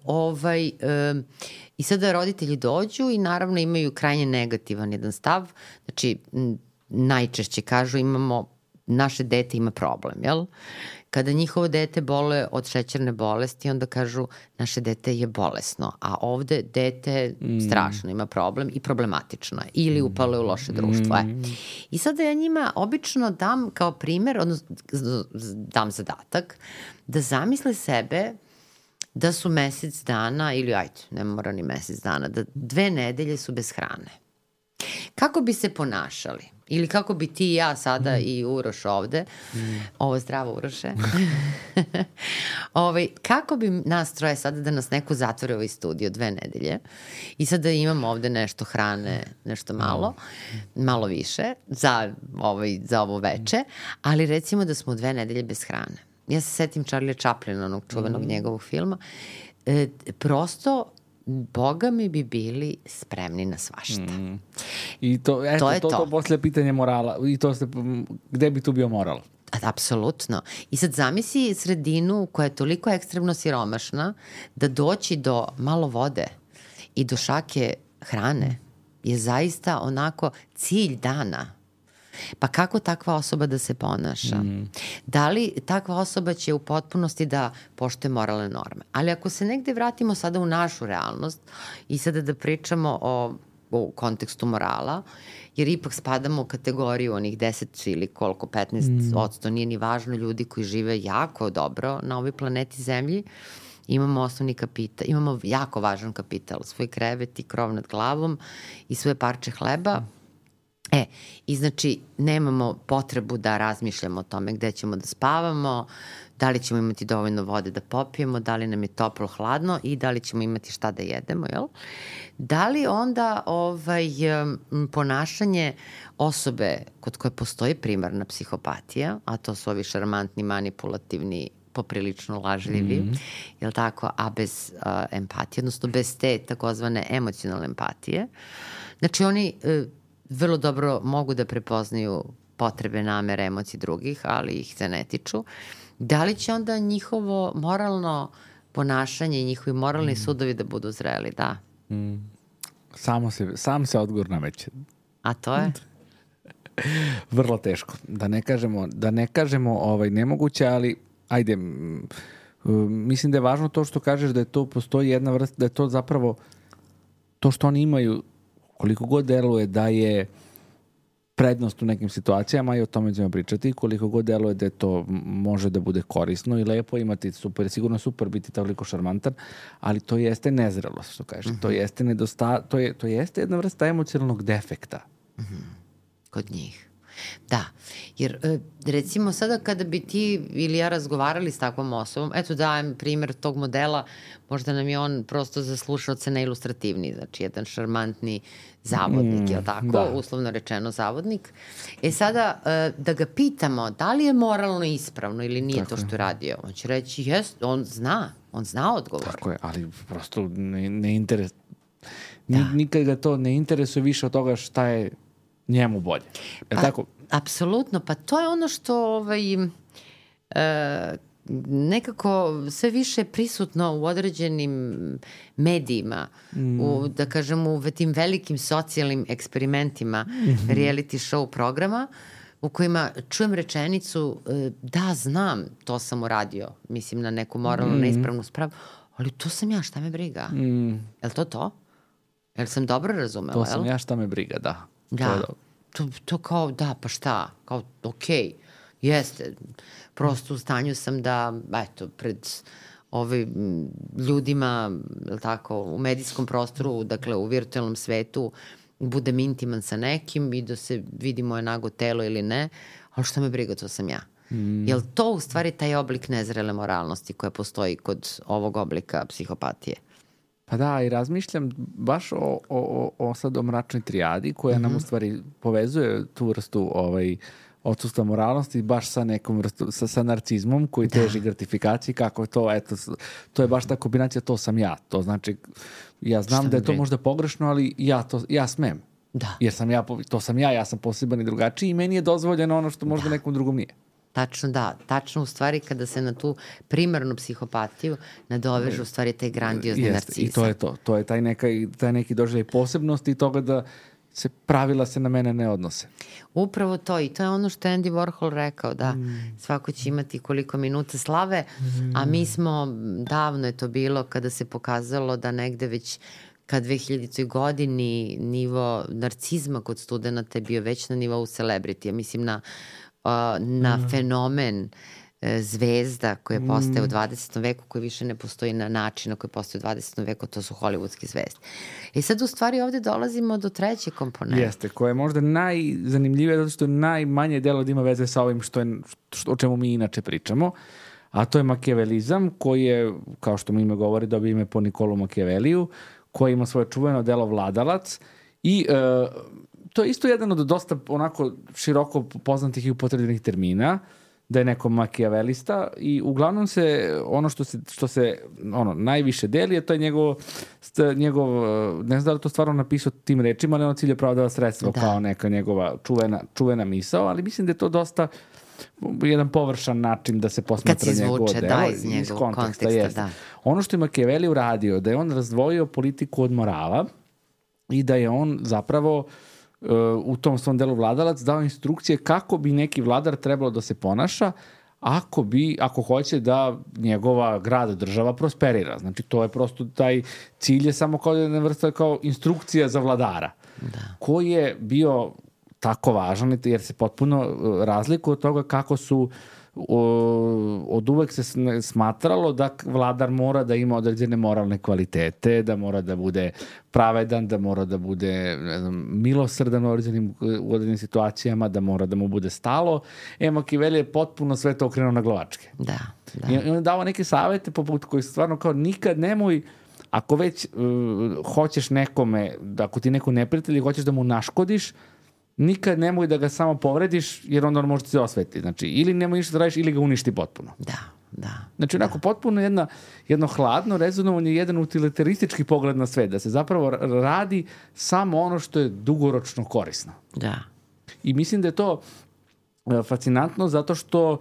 I sada roditelji dođu i naravno imaju krajnje negativan jedan stav, znači najčešće kažu naše dete ima problem, jel? Kada njihovo dete boluje od šećerne bolesti, onda kažu naše dete je bolesno, a ovde dete strašno ima problem i problematično je ili upalo je u loše društvo. I sada ja njima obično dam kao primjer, odnosno dam zadatak, da zamisle sebe da su mesec dana, ili ne mora ni mesec dana, da 2 nedelje su bez hrane. Kako bi se ponašali? Ili kako bi ti i ja sada i Uroš ovde, ovo zdravo Uroše, kako bi nas troje sada da nas neko zatvori u ovaj studio 2 nedelje i sada imamo ovde nešto hrane, nešto malo više za ovo veče, ali recimo da smo 2 nedelje bez hrane. ja se setim Charlie Chaplina, onog čuvenog njegovog filma, prosto Boga mi bi bili spremni na svašta. I to, eto, to posle pitanje morala. I to ste, gde bi tu bio moral? Apsolutno. I sad zamisli sredinu koja je toliko ekstremno siromašna da doći do malo vode i do šake hrane je zaista onako cilj dana. Pa kako takva osoba da se ponaša? Da li takva osoba će u potpunosti da poštuje moralne norme? Ali ako se negde vratimo sada u našu realnost i sada da pričamo u kontekstu morala, jer ipak spadamo u kategoriju onih 10 ili koliko, 15%, nije ni važno, ljudi koji žive jako dobro na ovoj planeti Zemlji, imamo osnovni kapital, imamo jako važan kapital, svoj krevet i krov nad glavom i svoje parče hleba. I znači nemamo potrebu da razmišljamo o tome gde ćemo da spavamo, da li ćemo imati dovoljno vode da popijemo, da li nam je toplo, hladno i da li ćemo imati šta da jedemo, jel? Da li onda ponašanje osobe kod koje postoji primarna psihopatija, a to su ovi šarmantni, manipulativni, poprilično lažljivi, jel tako, a bez empatije, odnosno bez te takozvane emocionalne empatije. Znači oni vrlo dobro mogu da prepoznaju potrebe, namere, emocije drugih, ali ih se ne tiču. Da li će onda njihovo moralno ponašanje i njihovi moralni sudovi da budu zreli? Da. Sam se odgovor nameće. A to je? Vrlo teško. Da ne kažemo nemoguće, ali ajde, mislim da je važno to što kažeš da je to postoji jedna vrsta, da je to zapravo to što oni imaju, koliko god deluje da je prednost u nekim situacijama i o tome ćemo pričati, koliko god deluje da to može da bude korisno i lepo imati super, sigurno super biti toliko šarmantan, ali to jeste nezrelost, što kažeš. To jeste to jeste jedna vrsta emocionalnog defekta. Kod njih. Da, jer recimo sada kada bi ti ili ja razgovarali s takvom osobom, eto dajem primjer tog modela, možda nam je on prosto za slušalce neilustrativni, znači jedan šarmantni zavodnik, je li tako? Uslovno rečeno zavodnik. Sada da ga pitamo da li je moralno ispravno ili nije tako to što je radio, on će reći jest, on zna odgovor. Tako je, ali prosto ne interesuje, nikad ga to ne interesuje više od toga šta je njemu bolje. Tako? Apsolutno, pa to je ono što nekako sve više prisutno u određenim medijima, da kažem u tim velikim socijalnim eksperimentima reality show programa, u kojima čujem rečenicu da znam, to sam uradio, mislim na neku moralno neispravnu spravu, ali to sam ja, šta me briga? Je li to? Jel sam dobro razumela? To sam ja, šta me briga, da. Da, to kao, da, pa šta, kao, okej, jeste, prosto u stanju sam da, eto, pred ljudima, je li tako, u medijskom prostoru, dakle, u virtualnom svetu, budem intiman sa nekim i da se vidi moje nago telo ili ne, ali šta me briga, to sam ja. Je li to u stvari taj oblik nezrele moralnosti koja postoji kod ovog oblika psihopatije? Pa da, i razmišljam baš o sad o mračnoj trijadi koja nam u stvari povezuje tu vrstu odsustva moralnosti baš sa nekom vrstu, sa narcizmom koji teži gratifikaciji, kako je to, eto, to je baš ta kombinacija, to sam ja. To znači, ja znam da je to možda pogrešno, ali ja smem. Da. Jer to sam ja sam poseban i drugačiji i meni je dozvoljeno ono što možda nekom drugom nije. Tačno, da. Tačno u stvari kada se na tu primarnu psihopatiju nadoveže u stvari taj grandiozni narcizam. I to je to. To je taj neki doživljaj posebnosti i toga da pravila se na mene ne odnose. Upravo to. I to je ono što je Andy Warhol rekao, da svako će imati koliko minuta slave, a mi smo, davno je to bilo kada se pokazalo da negde već ka 2000. godini nivo narcizma kod studenta je bio već na nivou celebrity. Mislim na fenomen zvezda koje postaje u 20. veku, koji više ne postoji na način na koji postoji u 20. veku, to su hollywoodske zvezde. I sad u stvari ovde dolazimo do treće komponente. Jeste, koja je možda najzanimljivija zato što je najmanje delo da ima veze sa ovim o čemu mi inače pričamo, a to je makijavelizam koji je, kao što mi ime govori, dobio ime po Nikolu Makijaveliju, koji ima svoje čuveno delo Vladalac i to je isto jedan od dosta onako široko poznatih i upotrebljenih termina. da je neko makijavelista i uglavnom se ono što se najviše deli je to je njegov ne znam da li to stvarno napisao tim rečima, ali ono cilj je pravdava sredstvo kao neka njegova čuvena misao, ali mislim da je to dosta jedan površan način da se posmatra njegovo delo iz konteksta. Da. Ono što je Makijaveli uradio, da je on razdvojio politiku od morala i da je on zapravo u tom svom delu vladalac dao instrukcije kako bi neki vladar trebalo da se ponaša ako hoće da njegova grad, država prosperira. Znači to je prosto taj cilj je samo kao jedna vrsta kao instrukcija za vladara koji je bio tako važan jer se potpuno razlikuje od toga kako su od uvek se smatralo da vladar mora da ima određene moralne kvalitete, da mora da bude pravedan, da mora da bude milosrdan u određenim situacijama, da mora da mu bude stalo. Makijaveli je potpuno sve to okrenuo na glavačke. Da. I on je dao neke savete poput koji stvarno kao nikad nemoj, ako već hoćeš nekome, ako ti neko neprijatelj i hoćeš da mu naškodiš, nikad nemoj da ga samo povrediš, jer onda on može se osveti. Znači, ili nemoj ništa da radiš, ili ga uništi potpuno. Da. Znači, onako, potpuno jedno hladno rezonovanje, jedan utilitaristički pogled na sve, da se zapravo radi samo ono što je dugoročno korisno. Da. I mislim da je to fascinantno zato što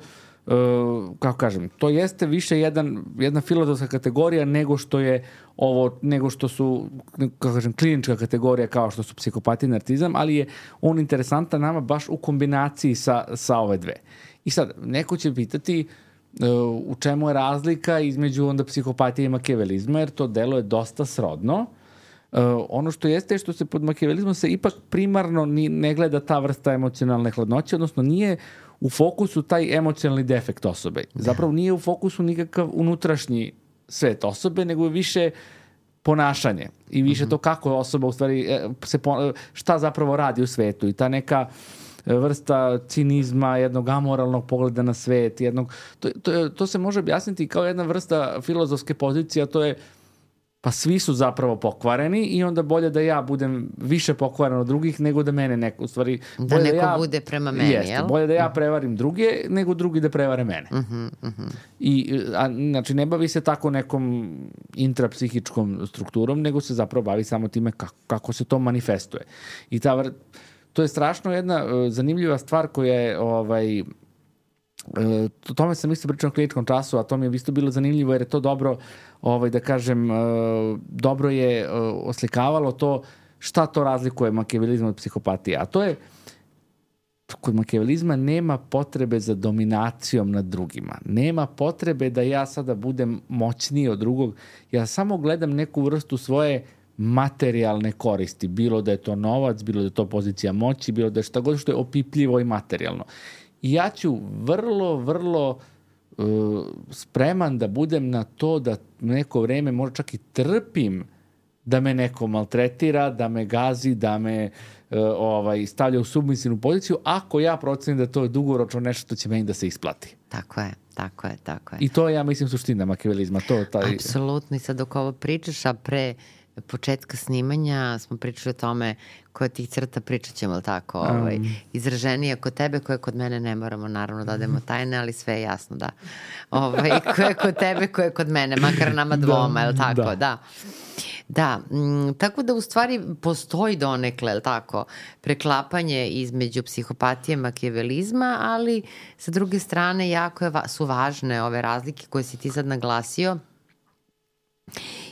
kako kažem, to jeste više jedna filozofska kategorija nego što su, kako kažem, klinička kategorija kao što su psihopatija i narcizam, ali je on interesantan nama baš u kombinaciji sa ove dve. I sad, neko će pitati u čemu je razlika između onda psihopatije i makijavelizma, jer to delo je dosta srodno. Ono što jeste što se pod makijavelizmom se ipak primarno ne gleda ta vrsta emocionalne hladnoće, odnosno nije u fokusu taj emocionalni defekt osobe. Zapravo nije u fokusu nikakav unutrašnji svet osobe, nego je više ponašanje i više to kako osoba u stvari šta zapravo radi u svetu i ta neka vrsta cinizma, jednog amoralnog pogleda na svet, to se može objasniti kao jedna vrsta filozofske pozicije, a to je pa svi su zapravo pokvareni i onda bolje da ja budem više pokvaren od drugih nego da mene neko, u stvari... Da neko bude prema meni, jel? Bolje da ja prevarim druge nego drugi da prevare mene. Znači, ne bavi se tako nekom intrapsihičkom strukturom, nego se zapravo bavi samo time kako se to manifestuje. I to je strašno jedna zanimljiva stvar koja je... O tome sam isto pričao na kliničkom času, a to mi je isto bilo zanimljivo jer je to dobro, da kažem, dobro je oslikavalo to šta to razlikuje makijavelizam od psihopatije. A to je, kod makijavelizma nema potrebe za dominacijom nad drugima. Nema potrebe da ja sada budem moćniji od drugog. Ja samo gledam neku vrstu svoje materijalne koristi. Bilo da je to novac, bilo da je to pozicija moći, bilo da je šta god što je opipljivo i materijalno. I ja ću vrlo spreman da budem na to da neko vreme možda čak i trpim da me neko maltretira, da me gazi, da me stavlja u submisivnu poziciju, ako ja procenim da to je dugoročno nešto što će meni da se isplati. Tako je. I to je, ja mislim, suština makijavelizma. Apsolutno. I sad dok ovo pričaš, a pre početka snimanja smo pričali o tome koje tih crta pričat ćemo, ali tako, izraženije kod tebe, koje kod mene ne moramo naravno da odemo tajne, ali sve je jasno, da. Koje kod tebe, koje kod mene, makar nama dvoma, je li tako, da. Da, tako da u stvari postoji donekle, je li tako, preklapanje između psihopatije i makijavelizma, ali sa druge strane jako su važne ove razlike koje si ti sad naglasio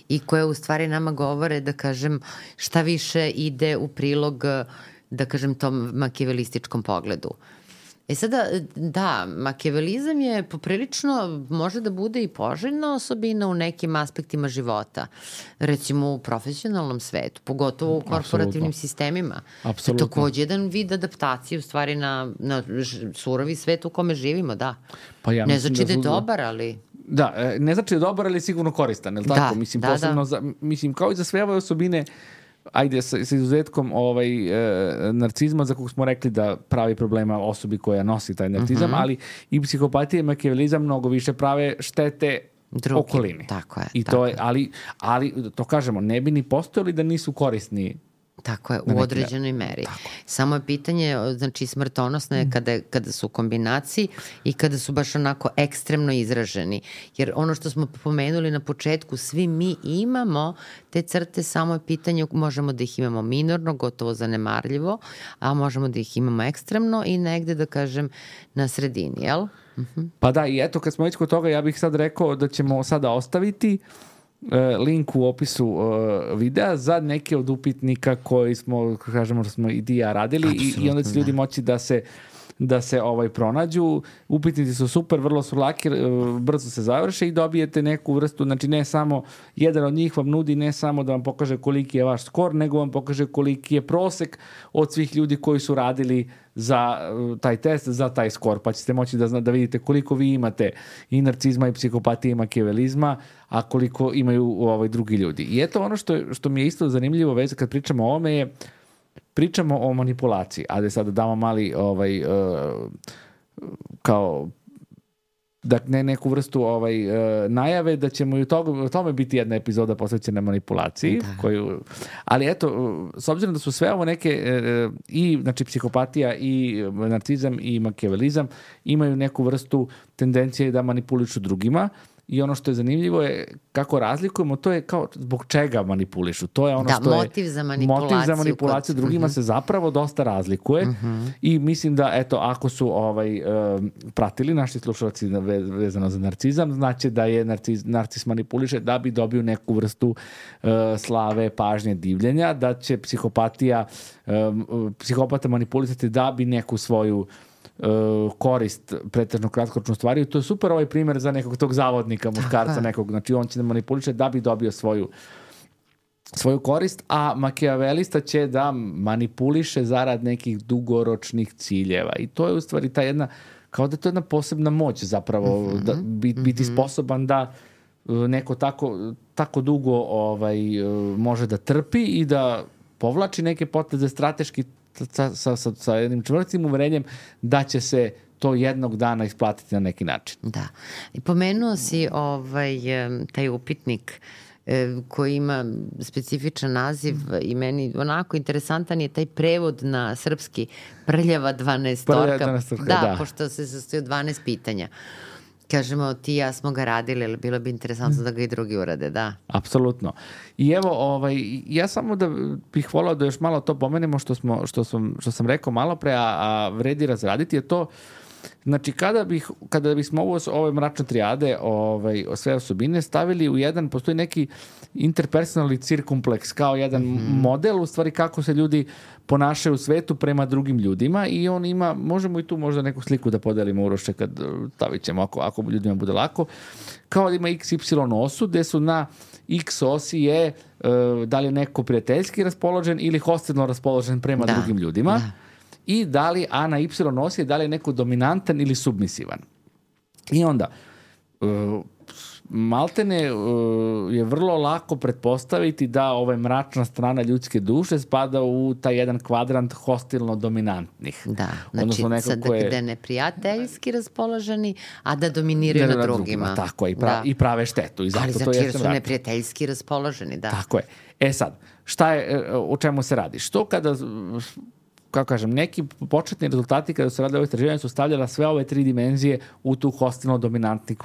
i koje u stvari nama govore, da kažem, šta više ide u prilog, da kažem, tom makijavelističkom pogledu. Sada, da, makijavelizam je poprilično, može da bude i poželjna osobina u nekim aspektima života. Recimo u profesionalnom svetu, pogotovo u korporativnim sistemima. Apsolutno. Takođe jedan vid adaptacije u stvari na surovi svet u kome živimo, da. Pa ja ne znači da je dobar, ali... Da, ne znači da je dobar, ali sigurno koristan, je li tako? Mislim, posebno mislim, kao i za sve ove osobine, ajde, sa izuzetkom narcizma, za kog smo rekli da pravi problema osobi koja nosi taj narcizam, ali i psihopatija i makijavelizam mnogo više prave štete okolini. Tako je. I to je, ali to kažemo, ne bi ni postojali da nisu korisni Tako je, u određenoj meri. Samo je pitanje, znači smrtonosno je kada su u kombinaciji i kada su baš onako ekstremno izraženi. Jer ono što smo pomenuli na početku, svi mi imamo te crte, samo je pitanje, možemo da ih imamo minorno, gotovo zanemarljivo, a možemo da ih imamo ekstremno i negde, da kažem, na sredini, jel? Pa da, i eto, kad smo već kod toga, ja bih sad rekao da ćemo sada ostaviti link u opisu videa za neke od upitnika koji smo, kažemo, da smo i ti ja radili i onda će ljudi moći da se pronađu. Upitnici su super, vrlo su laki, brzo se završe i dobijete neku vrstu, znači ne samo jedan od njih vam nudi ne samo da vam pokaže koliki je vaš skor, nego vam pokaže koliki je prosek od svih ljudi koji su radili za taj test, za taj skor, pa ćete moći da vidite koliko vi imate i narcizma i psihopatije i makijavelizma, a koliko imaju drugi ljudi. I eto ono što mi je isto zanimljivo veze kad pričamo o ovome je pričamo o manipulaciji, a da sada damo mali kao da neku vrstu najave da ćemo i u tome biti jedna epizoda posvećena manipulaciji. Ali eto, s obzirom da su sve ovo neke i znači psihopatija i narcizam i makijavelizam imaju neku vrstu tendencije da manipulišu drugima. I ono što je zanimljivo je kako razlikujemo, to je kao zbog čega manipulišu. To je ono što motiv za manipulaciju. Motiv za manipulaciju drugima se zapravo dosta razlikuje i mislim da, eto, ako su pratili naši slušalci vezano za narcizam, znači da je narcis manipuliše da bi dobio neku vrstu slave, pažnje, divljenja, da će psihopata manipulisati da bi neku svoju korist pretežno kratkoročno stvari. To je super ovaj primjer za nekog tog zavodnika, muškarca nekog, znači on će da manipuliše da bi dobio svoju korist, a makijavelista će da manipuliše zarad nekih dugoročnih ciljeva. I to je u stvari ta jedna, kao da je to jedna posebna moć zapravo, da biti sposoban da neko tako dugo može da trpi i da povlači neke poteze strateški sa jednim čvrstim uverenjem da će se to jednog dana isplatiti na neki način. Da. I pomenuo si taj upitnik koji ima specifičan naziv i meni onako interesantan je taj prevod na srpski prljava 12-orka. Da, pošto se sastoji od 12 pitanja. Kažemo, ti i ja smo ga radili, ali bilo bi interesantno da ga i drugi urade, da. Apsolutno. I evo, ja samo da bih volao da još malo to pomenemo što sam rekao malo pre, a vredi razraditi je to, znači kada bismo ove mračne trijade, sve osobine stavili u jedan, postoji neki interpersonalni cirkumpleks, kao jedan model, u stvari kako se ljudi ponašaju u svetu prema drugim ljudima i on ima, možemo i tu možda neku sliku da podelimo, Uroše, kad stavit ćemo, ako ljudima bude lako, kao da ima XY osu, gde su na X osi je da li je neko prijateljski raspoložen ili hostilno raspoložen prema drugim ljudima. I da li, a na Y osi je da li je neko dominantan ili submisivan. I onda, maltene je vrlo lako pretpostaviti da mračna strana ljudske duše spada u taj jedan kvadrant hostilno dominantnih. Da, znači gde je neprijateljski raspoloženi, a da dominiraju na drugima. Tako je, i prave štetu. I zato ali znači jer su neprijateljski raspoloženi, da. Tako je. Sad, o čemu se radi? Što kada, kako kažem, neki početni rezultati kada su radili ove istraživanja su stavljala sve ove 3 dimenzije u tu hostilno-dominantni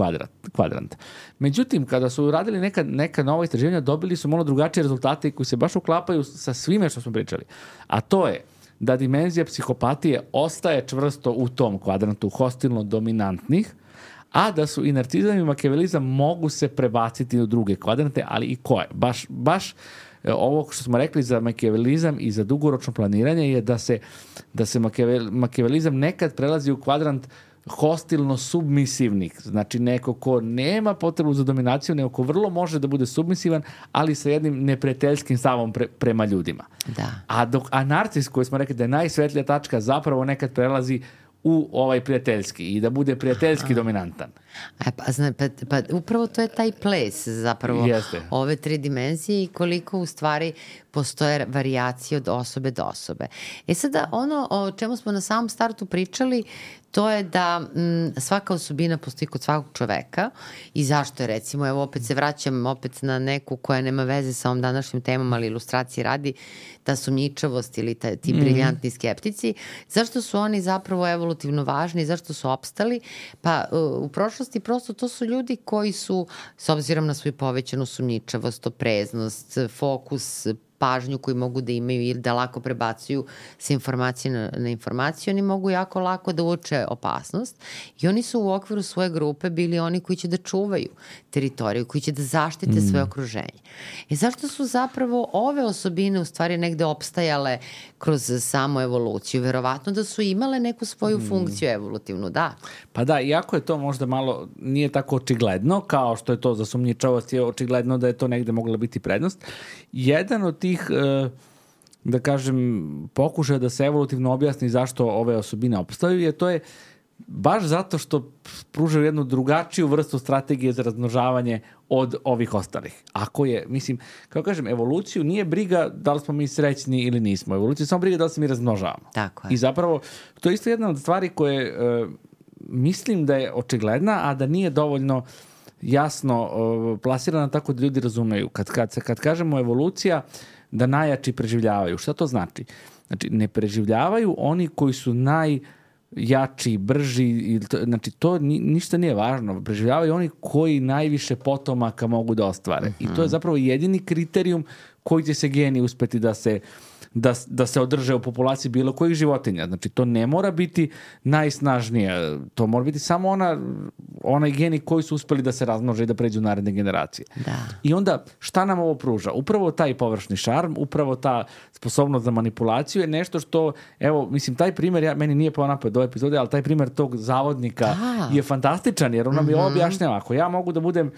kvadrant. Međutim, kada su radili neka nova istraživanja, dobili su malo drugačije rezultate koji se baš uklapaju sa svime što smo pričali. A to je da dimenzija psihopatije ostaje čvrsto u tom kvadrantu hostilno-dominantnih, a da su i narcizam i makijavelizam mogu se prebaciti u druge kvadrante, ali i koje? Baš ovo što smo rekli za makijavelizam i za dugoročno planiranje je da se makijavelizam nekad prelazi u kvadrant hostilno-submisivnih. Znači neko ko nema potrebu za dominaciju, nego ko vrlo može da bude submisivan, ali sa jednim neprijateljskim stavom prema ljudima. Da. A narcis, koji smo rekli da je najsvetlija tačka, zapravo nekad prelazi u prijateljski i da bude prijateljski dominantan. Pa upravo to je taj ples zapravo. Jeste. Ove 3 dimenzije i koliko u stvari postoje varijacije od osobe do osobe. Sada ono o čemu smo na samom startu pričali, to je da svaka osobina postoji kod svakog čoveka i zašto je, recimo, evo opet se vraćam opet na neku koja nema veze sa ovom današnjim temom, ali ilustracije radi, ta sumnjičavost ili ti briljantni skeptici, zašto su oni zapravo evolutivno važni, zašto su opstali? Pa u prošlosti prosto to su ljudi koji su, s obzirom na svoju povećanu sumnjičavost, opreznost, fokus, pažnju koju mogu da imaju ili da lako prebacuju sa informacije na informaciju, oni mogu jako lako da uoče opasnost i oni su u okviru svoje grupe bili oni koji će da čuvaju teritoriju, koji će da zaštite svoje okruženje. I zašto su zapravo ove osobine u stvari negde opstajale kroz samu evoluciju? Verovatno da su imale neku svoju funkciju evolutivnu, da. Pa da, iako je to možda malo, nije tako očigledno, kao što je to za sumnjičavost, je očigledno da je to negde mogla biti prednost. Jedan od tih, da kažem, pokušaja da se evolutivno objasni zašto ove osobine opstaju, to je baš zato što pružaju jednu drugačiju vrstu strategije za razmnožavanje od ovih ostalih. Ako je, mislim, kao kažem, evoluciju nije briga da li smo mi srećni ili nismo. Evoluciju je samo briga da li se mi razmnožavamo. Tako je. I zapravo, to je isto jedna od stvari koje mislim da je očigledna, a da nije dovoljno jasno plasirana tako da ljudi razumeju. Kad kažemo evolucija, da najjači preživljavaju. Šta to znači? Znači, ne preživljavaju oni koji su najjači, brži, znači to ništa nije važno. Preživljavaju oni koji najviše potomaka mogu da ostvare. I to je zapravo jedini kriterijum koji će se geni uspeti da se održe u populaciji bilo kojih životinja. Znači, to ne mora biti najsnažnije. To mora biti samo onaj geni koji su uspeli da se razmnože i da pređu u naredne generacije. Da. I onda, šta nam ovo pruža? Upravo taj površni šarm, upravo ta sposobnost za manipulaciju je nešto što, evo, mislim, taj primer, meni nije pao napad do epizode, ali taj primer tog zavodnika je fantastičan, jer on nam je objašnjava. Ako ja mogu da budem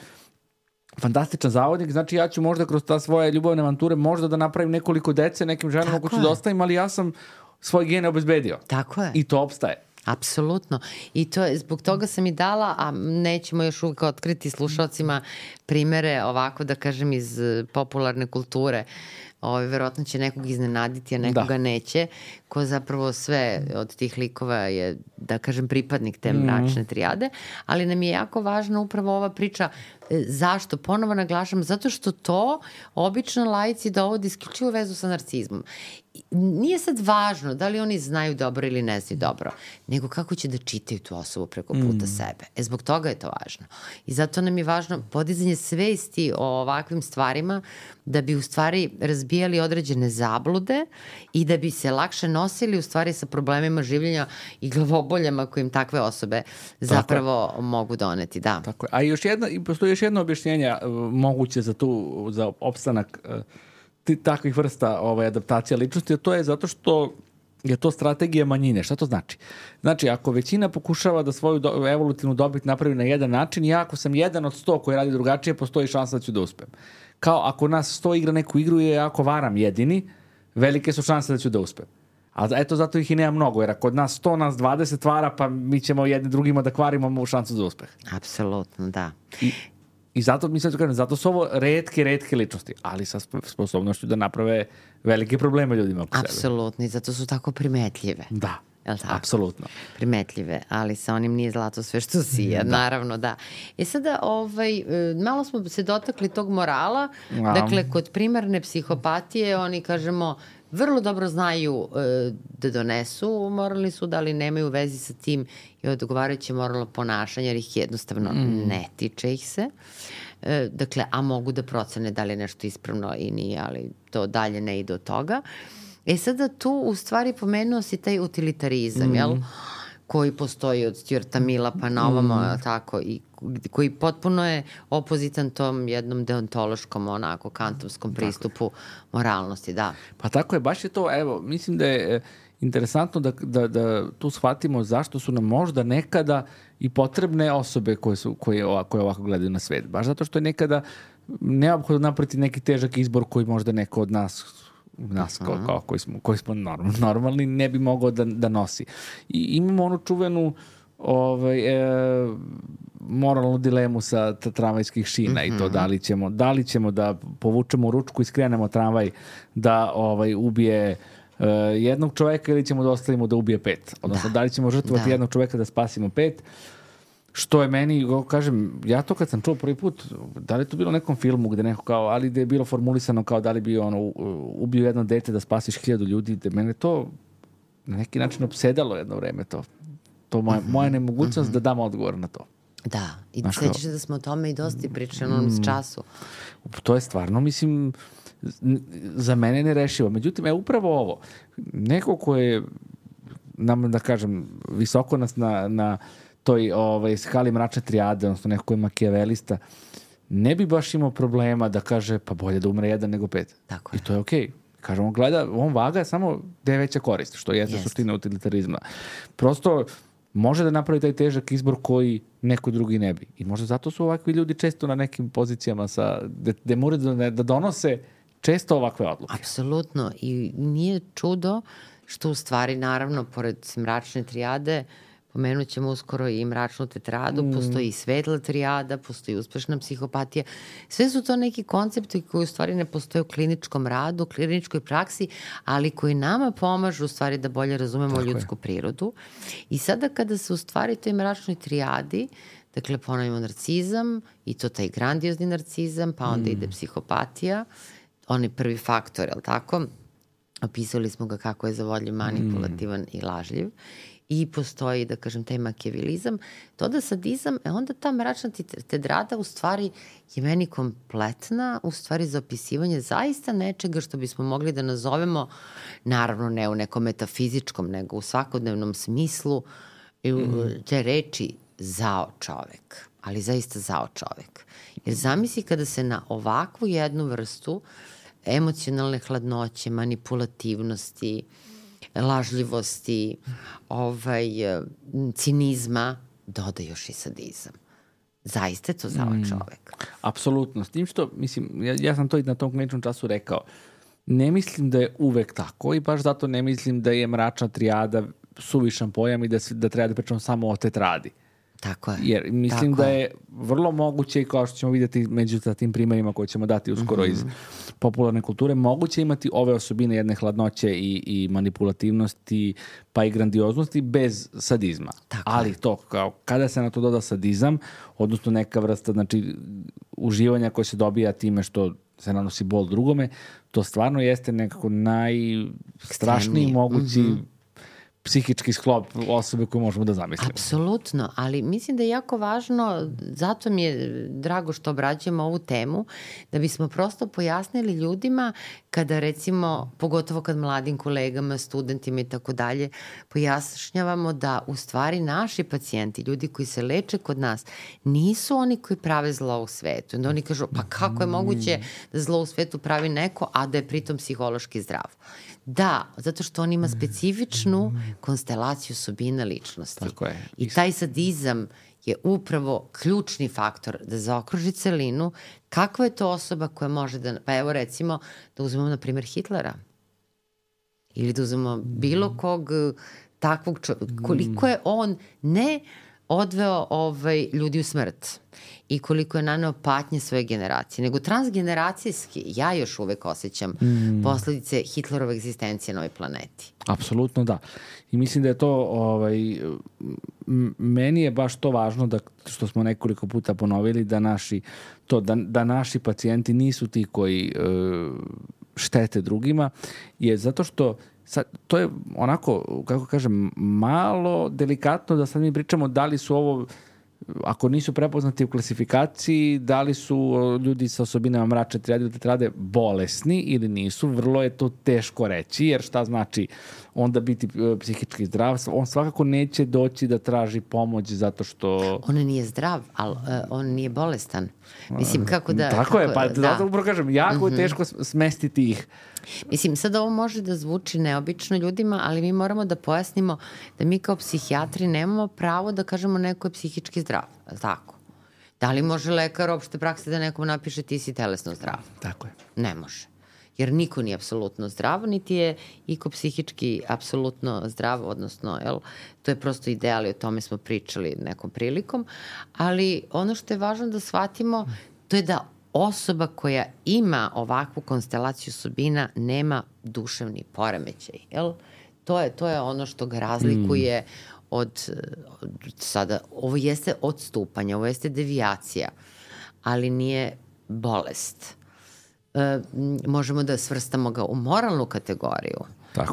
fantastičan zavodnik, znači ja ću možda kroz ta svoje ljubavne avanture možda da napravim nekoliko dece nekim ženama ko ću da ostavim, ali ja sam svoje gene obezbedio. Tako je. I to opstaje. Apsolutno. I to je, zbog toga sam i dala, a nećemo još uvijek otkriti slušalcima primere ovako da kažem iz popularne kulture. Verovatno će nekog iznenaditi, a nekoga neće, ko zapravo sve od tih likova je, da kažem, pripadnik te mračne trijade, ali nam je jako važna upravo ova priča. Zašto? Ponovo naglašam, zato što to obično laici dovodi isključivo vezu sa narcizmom. Nije sad važno da li oni znaju dobro ili ne znaju dobro, nego kako će da čitaju tu osobu preko puta sebe. Zbog toga je to važno. I zato nam je važno podizanje svesti o ovakvim stvarima da bi u stvari razbijali određene zablude i da bi se lakše nosili u stvari sa problemima življenja i glavoboljama kojim takve osobe zapravo mogu doneti. Da. Tako je. A postoji još jedno objašnjenje moguće za opstanak takvih vrsta adaptacija ličnosti, a to je zato što je to strategija manjine. Šta to znači? Znači, ako većina pokušava da svoju evolutivnu dobit napravi na jedan način, ja ako sam jedan od 100 koji radi drugačije, postoji šansa da ću da uspem. Kao ako nas 100 igra neku igru i ako varam jedini, velike su šanse da ću da uspem. A eto, zato ih i nema mnogo, jer ako od nas 100, nas 20 vara, pa mi ćemo jedni drugima da kvarimo mu šansu za uspeh. Apsolutno, da. I zato, mislim, zato su ovo retke ličnosti, ali sa sposobnošću da naprave velike probleme ljudima oko sebe. Apsolutno, i zato su tako primetljive. Da, apsolutno. Primetljive, ali sa onim nije zlato sve što sija, naravno, da. Sada, malo smo se dotakli tog morala, dakle, kod primarne psihopatije, oni, kažemo, vrlo dobro znaju da donesu moralni sud, ali nemaju vezi sa tim i odgovarajuće moralno ponašanje, jer ih jednostavno ne tiče ih se. Dakle, a mogu da procene da li je nešto ispravno i nije, ali to dalje ne ide od toga. Sada tu u stvari pomenuo si taj utilitarizam, jel? Koji postoji od Stuarta Milla pa na ovamo, tako, i koji potpuno je opozitan tom jednom deontološkom, onako, kantovskom pristupu moralnosti, da. Pa tako je, baš je to, evo, mislim da je interesantno da tu shvatimo zašto su nam možda nekada i potrebne osobe koje ovako gledaju na svet. Baš zato što je nekada neophodno napraviti neki težak izbor koji možda neko od nas koji smo normalni ne bi mogao da nosi. I imamo onu čuvenu moralnu dilemu sa tramvajskih šina i to da li ćemo da povučemo ručku i skrenemo tramvaj da ubije jednog čoveka ili ćemo da ostavimo da ubije 5. Odnosno, da li ćemo žrtvovati jednog čoveka da spasimo 5. Što je meni, kažem, ja to kad sam čuo prvi put, da li je to bilo u nekom filmu gde neko kao, ali gde je bilo formulisano kao da li bi ubio jedno dete da spasiš 1000 ljudi, da mene to na neki način opsedalo jedno vreme to. To moja nemogućnost da dam odgovor na to. Da, i sećaš da smo o tome i dosta pričali na onom času. To je stvarno, mislim, za mene nerešivo. Međutim, upravo ovo, neko ko je, da kažem, visoko nas na toj skali mračne trijade, odnosno neko ko je makijavelista, ne bi baš imao problema da kaže pa bolje da umre 1 nego 5. Tako je. I to je okej. Kažemo, on vaga samo gde je veća korist, što jeste suština utilitarizma. Prosto može da napravi taj težak izbor koji neko drugi ne bi. I možda zato su ovakvi ljudi često na nekim pozicijama gde moraju da donose često ovakve odluke. Apsolutno. I nije čudo što u stvari, naravno, pored mračne trijade, pomenut ćemo uskoro i mračnu tetradu, postoji i svetla trijada, postoji uspešna psihopatija. Sve su to neki koncepti koji u stvari ne postoje u kliničkom radu, u kliničkoj praksi, ali koji nama pomažu u stvari da bolje razumemo ljudsku prirodu. I sada kada se u stvari toj mračnoj trijadi, dakle ponovimo narcizam, i to taj grandiozni narcizam, pa onda ide psihopatija, onaj prvi faktor, je li tako? Opisali smo ga kako je zavodljiv, manipulativan i lažljiv. I postoji, da kažem, taj makijavelizam. To da sadizam, onda ta mračna tetrada u stvari je meni kompletna, u stvari za opisivanje zaista nečega što bismo mogli da nazovemo, naravno ne u nekom metafizičkom, nego u svakodnevnom smislu, te reči zao čovek. Ali zaista zao čovek. Jer zamisli kada se na ovakvu jednu vrstu emocionalne hladnoće, manipulativnosti, lažljivosti, cinizma, doda još i sadizam. Zaista je to zao čovek. Apsolutno. S tim što, mislim, ja sam to i na tom kliničnom času rekao, ne mislim da je uvek tako i baš zato ne mislim da je mračna trijada suvišan pojam i da treba da pričamo samo o tetradi. Tako je. Jer mislim da je vrlo moguće, i kao što ćemo vidjeti među tim primjerima koje ćemo dati uskoro iz popularne kulture, moguće imati ove osobine jedne hladnoće i manipulativnosti, pa i grandioznosti bez sadizma. Ali to, kao kada se na to doda sadizam, odnosno neka vrsta, znači, uživanja koje se dobija time što se nanosi bol drugome, to stvarno jeste nekako najstrašniji mogući psihički sklop osobe koju možemo da zamislimo. Apsolutno, ali mislim da je jako važno, zato mi je drago što obrađujemo ovu temu, da bismo prosto pojasnili ljudima kada recimo, pogotovo kad mladim kolegama, studentima i tako dalje, pojašnjavamo da u stvari naši pacijenti, ljudi koji se leče kod nas, nisu oni koji prave zlo u svetu. Onda oni kažu, pa kako je moguće da zlo u svetu pravi neko, a da je pritom psihološki zdrav? Da, zato što on ima specifičnu konstelaciju osobina ličnosti. Tako je. I taj sadizam je upravo ključni faktor da zaokruži celinu. Kakva je to osoba koja može da... Pa evo recimo da uzmemo na primjer Hitlera. Ili da uzmemo bilo kog takvog čovjeka. Koliko je on ne odveo ljudi u smrt i koliko je naneo patnje svoje generacije, nego transgeneracijski ja još uvek osjećam posledice Hitlerove egzistencije na ovoj planeti. Apsolutno da. I mislim da je to, meni je baš to važno da, što smo nekoliko puta ponovili, da naši pacijenti nisu ti koji štete drugima, je zato što sad, to je onako, kako kažem, malo delikatno da sad mi pričamo da li su ovo, ako nisu prepoznati u klasifikaciji, da li su ljudi sa osobinama mračne trijade ili tetrade bolesni ili nisu. Vrlo je to teško reći, jer šta znači onda biti psihički zdrav? On svakako neće doći da traži pomoć zato što... On nije zdrav, ali on nije bolestan. Mislim, kako da... Tako je, pa zato upravo kažem, jako je teško smestiti ih. Mislim, sad ovo može da zvuči neobično ljudima, ali mi moramo da pojasnimo da mi kao psihijatri nemamo pravo da kažemo neko je psihički zdrav. Tako. Da li može lekar opšte prakse da nekom napiše ti si telesno zdrav? Tako je. Ne može. Jer niko nije apsolutno zdrav, niti je iko psihički apsolutno zdrav, odnosno, to je prosto ideal i o tome smo pričali nekom prilikom, ali ono što je važno da shvatimo, to je da osoba koja ima ovakvu konstelaciju osobina nema duševni poremećaj, jel? To je ono što ga razlikuje od sada, ovo jeste odstupanje, ovo jeste devijacija, ali nije bolest. Možemo da svrstamo ga u moralnu kategoriju,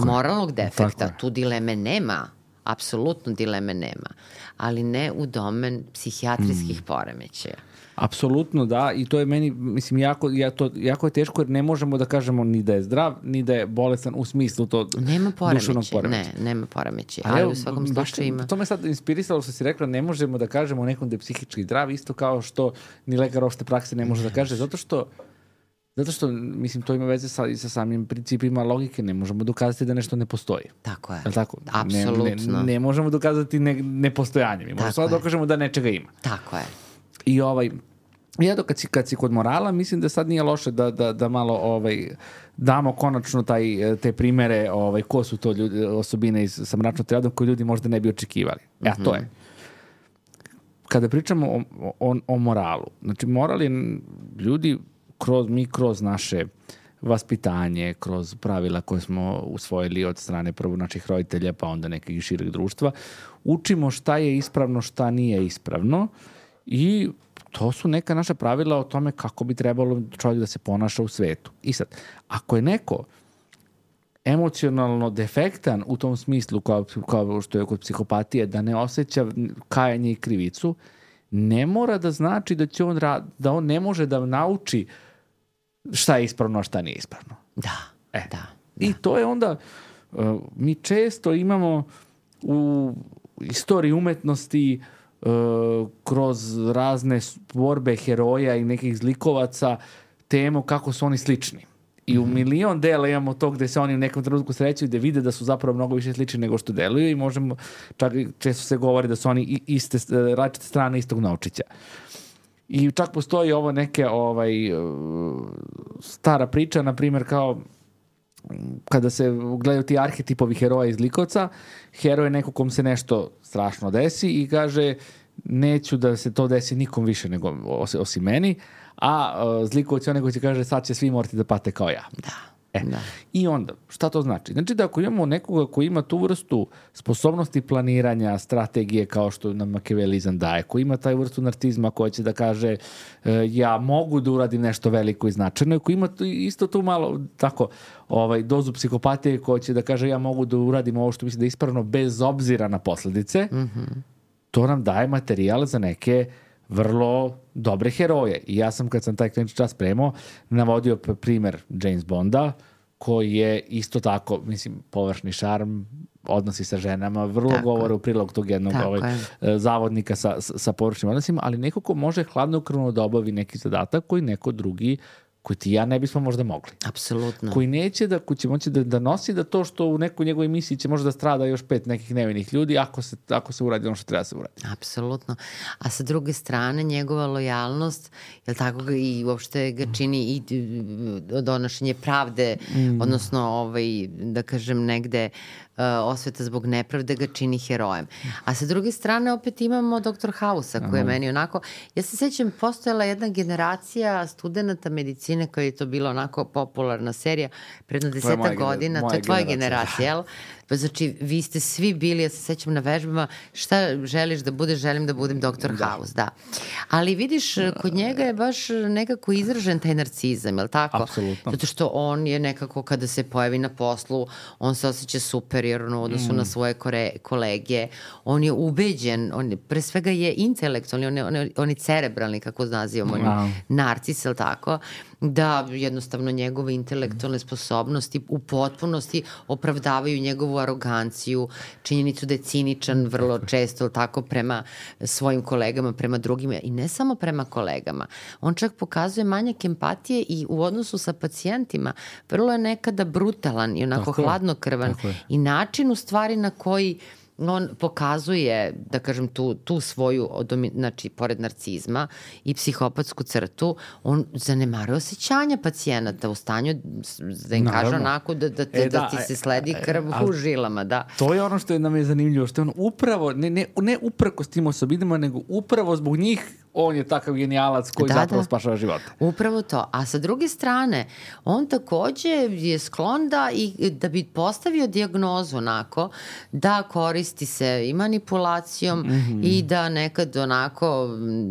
moralnog defekta, tu dileme nema, apsolutno dileme nema, ali ne u domen psihijatrijskih poremećaja. Apsolutno, da, i to je meni, mislim, jako je teško jer ne možemo da kažemo ni da je zdrav, ni da je bolestan u smislu to duševnog poremećaja. Nema poremećaja, ali u svakom slučaju ima. To me sad inspirisalo što si rekla, ne možemo da kažemo nekom da je psihički zdrav, isto kao što ni lekar opšte prakse ne može da kaže, zato što, mislim, to ima veze sa samim principima logike, ne možemo dokazati da nešto ne postoji. Tako je. Je li tako? Apsolutno. Ne možemo dokazati nepostojanje, mi možemo samo dokažemo da nečega ima. Tako je. I ja kad si kod morala, mislim da sad nije loše da malo damo konačno te primere ko su to osobine sa mračnom triadom koje ljudi možda ne bi očekivali. To je. Kada pričamo o moralu, znači moral je ljudi kroz naše vaspitanje, kroz pravila koje smo usvojili od strane prvo naših roditelja pa onda nekog šireg društva, učimo šta je ispravno, šta nije ispravno i to su neka naša pravila o tome kako bi trebalo čovjek da se ponaša u svetu. I sad, ako je neko emocionalno defektan u tom smislu kao što je kod psihopatije, da ne osjeća kajanje i krivicu, ne mora da znači da on ne može da nauči šta je ispravno, a šta nije ispravno. Da. I to je onda, mi često imamo u istoriji umetnosti kroz razne borbe heroja i nekih zlikovaca temu kako su oni slični. I u milion dela imamo to gde se oni u nekom trenutku srećaju da vide da su zapravo mnogo više slični nego što deluju i možemo, čak često se govori da su oni različite strane istog novčića. I čak postoji ovo neke stara priča, na primjer kao kada se gledaju ti arhetipovi heroja iz likovca, heroj je neko kom se nešto strašno desi i kaže neću da se to desi nikom više nego osim meni, a zlikovac je onaj koji će kaže sad će svi morati da pate kao ja. Da. I onda, šta to znači? Znači da ako imamo nekoga koji ima tu vrstu sposobnosti planiranja, strategije kao što nam makiavelizam daje, koji ima taj vrstu narcizma koja će da kaže ja mogu da uradim nešto veliko i značajno, koji ima isto tu malo tako dozu psihopatije koja će da kaže ja mogu da uradim ovo što mislim da je ispravno bez obzira na posledice, to nam daje materijal za neke vrlo dobre heroje. I ja sam, kad sam taj klinički čas spremao, navodio primer James Bonda, koji je isto tako, mislim, površni šarm, odnosi sa ženama, vrlo govore u prilog tog jednog zavodnika sa površnim odnosima, ali neko ko može hladnokrvno da obavi neki zadatak koji neko drugi, koji ti ja ne bismo možda mogli. Apsolutno. Koji neće koji će moći da nosi da to što u nekoj njegovoj misiji će možda strada još 5 nekih nevinih ljudi ako se uradi ono što treba se uradi. Apsolutno. A sa druge strane, njegova lojalnost, jel tako ga i uopšte ga čini i donošenje pravde, odnosno, da kažem, negde osveta zbog nepravde ga čini herojem. A sa druge strane opet imamo Dr. House-a koji je meni onako, ja se sećam, postojala jedna generacija studenta medicine koja je to bila onako popularna serija predno 10 godina, to je tvoja generacija, jel? Znači, vi ste svi bili, ja se sećam na vežbama, šta želiš da budeš, želim da budem Dr. House, da. Ali vidiš, kod njega je baš nekako izražen taj narcizam, je li tako? Apsolutno. Zato što on je nekako, kada se pojavi na poslu, on se osjeća superiorno u odnosu na svoje kolege, on je ubeđen, pre svega je intelektualni, on je cerebralni, kako nazivamo, narcis, je li tako? Da jednostavno njegove intelektualne sposobnosti u potpunosti opravdavaju njegovu aroganciju, činjenicu da je ciničan vrlo često tako prema svojim kolegama, prema drugima i ne samo prema kolegama. On čak pokazuje manjak empatije i u odnosu sa pacijentima vrlo je nekada brutalan i onako hladnokrvan i način u stvari na koji on pokazuje, da kažem, tu svoju, znači, pored narcizma i psihopatsku crtu, on zanemaruje osjećanja pacijenata u stanju da im kaže onako da ti se sledi krv u žilama, da. To je ono što nam je zanimljivo, što je on upravo, ne uprkos tim osobinama, nego upravo zbog njih on je takav genijalac koji zapravo spašava života. Upravo to. A sa druge strane, on takođe je sklon da bi postavio dijagnozu onako, da koristi se i manipulacijom i da nekad onako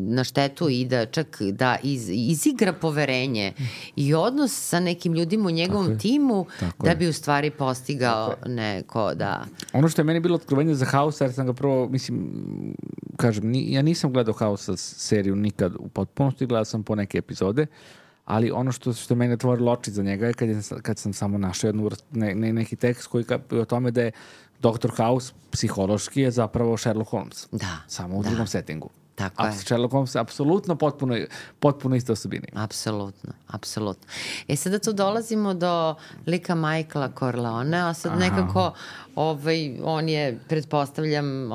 na štetu i da čak da izigra poverenje i odnos sa nekim ljudima u njegovom timu da bi u stvari postigao neko, da. Ono što je meni bilo otkrovenje za House, jer sam ga prvo, mislim, kažem, ja nisam gledao House seriju nikad u potpunosti, gledao sam po neke epizode, ali ono što mene otvorilo oči za njega je kad sam samo našao neki tekst koji o tome da je Dr. House psihološki je zapravo Sherlock Holmes. Da. Samo u drugom settingu. Tako je. Sherlock Holmes je apsolutno potpuno iste osobine. Apsolutno. Sada tu dolazimo do lika Michaela Corleonea, a sad nekako on je, pretpostavljam,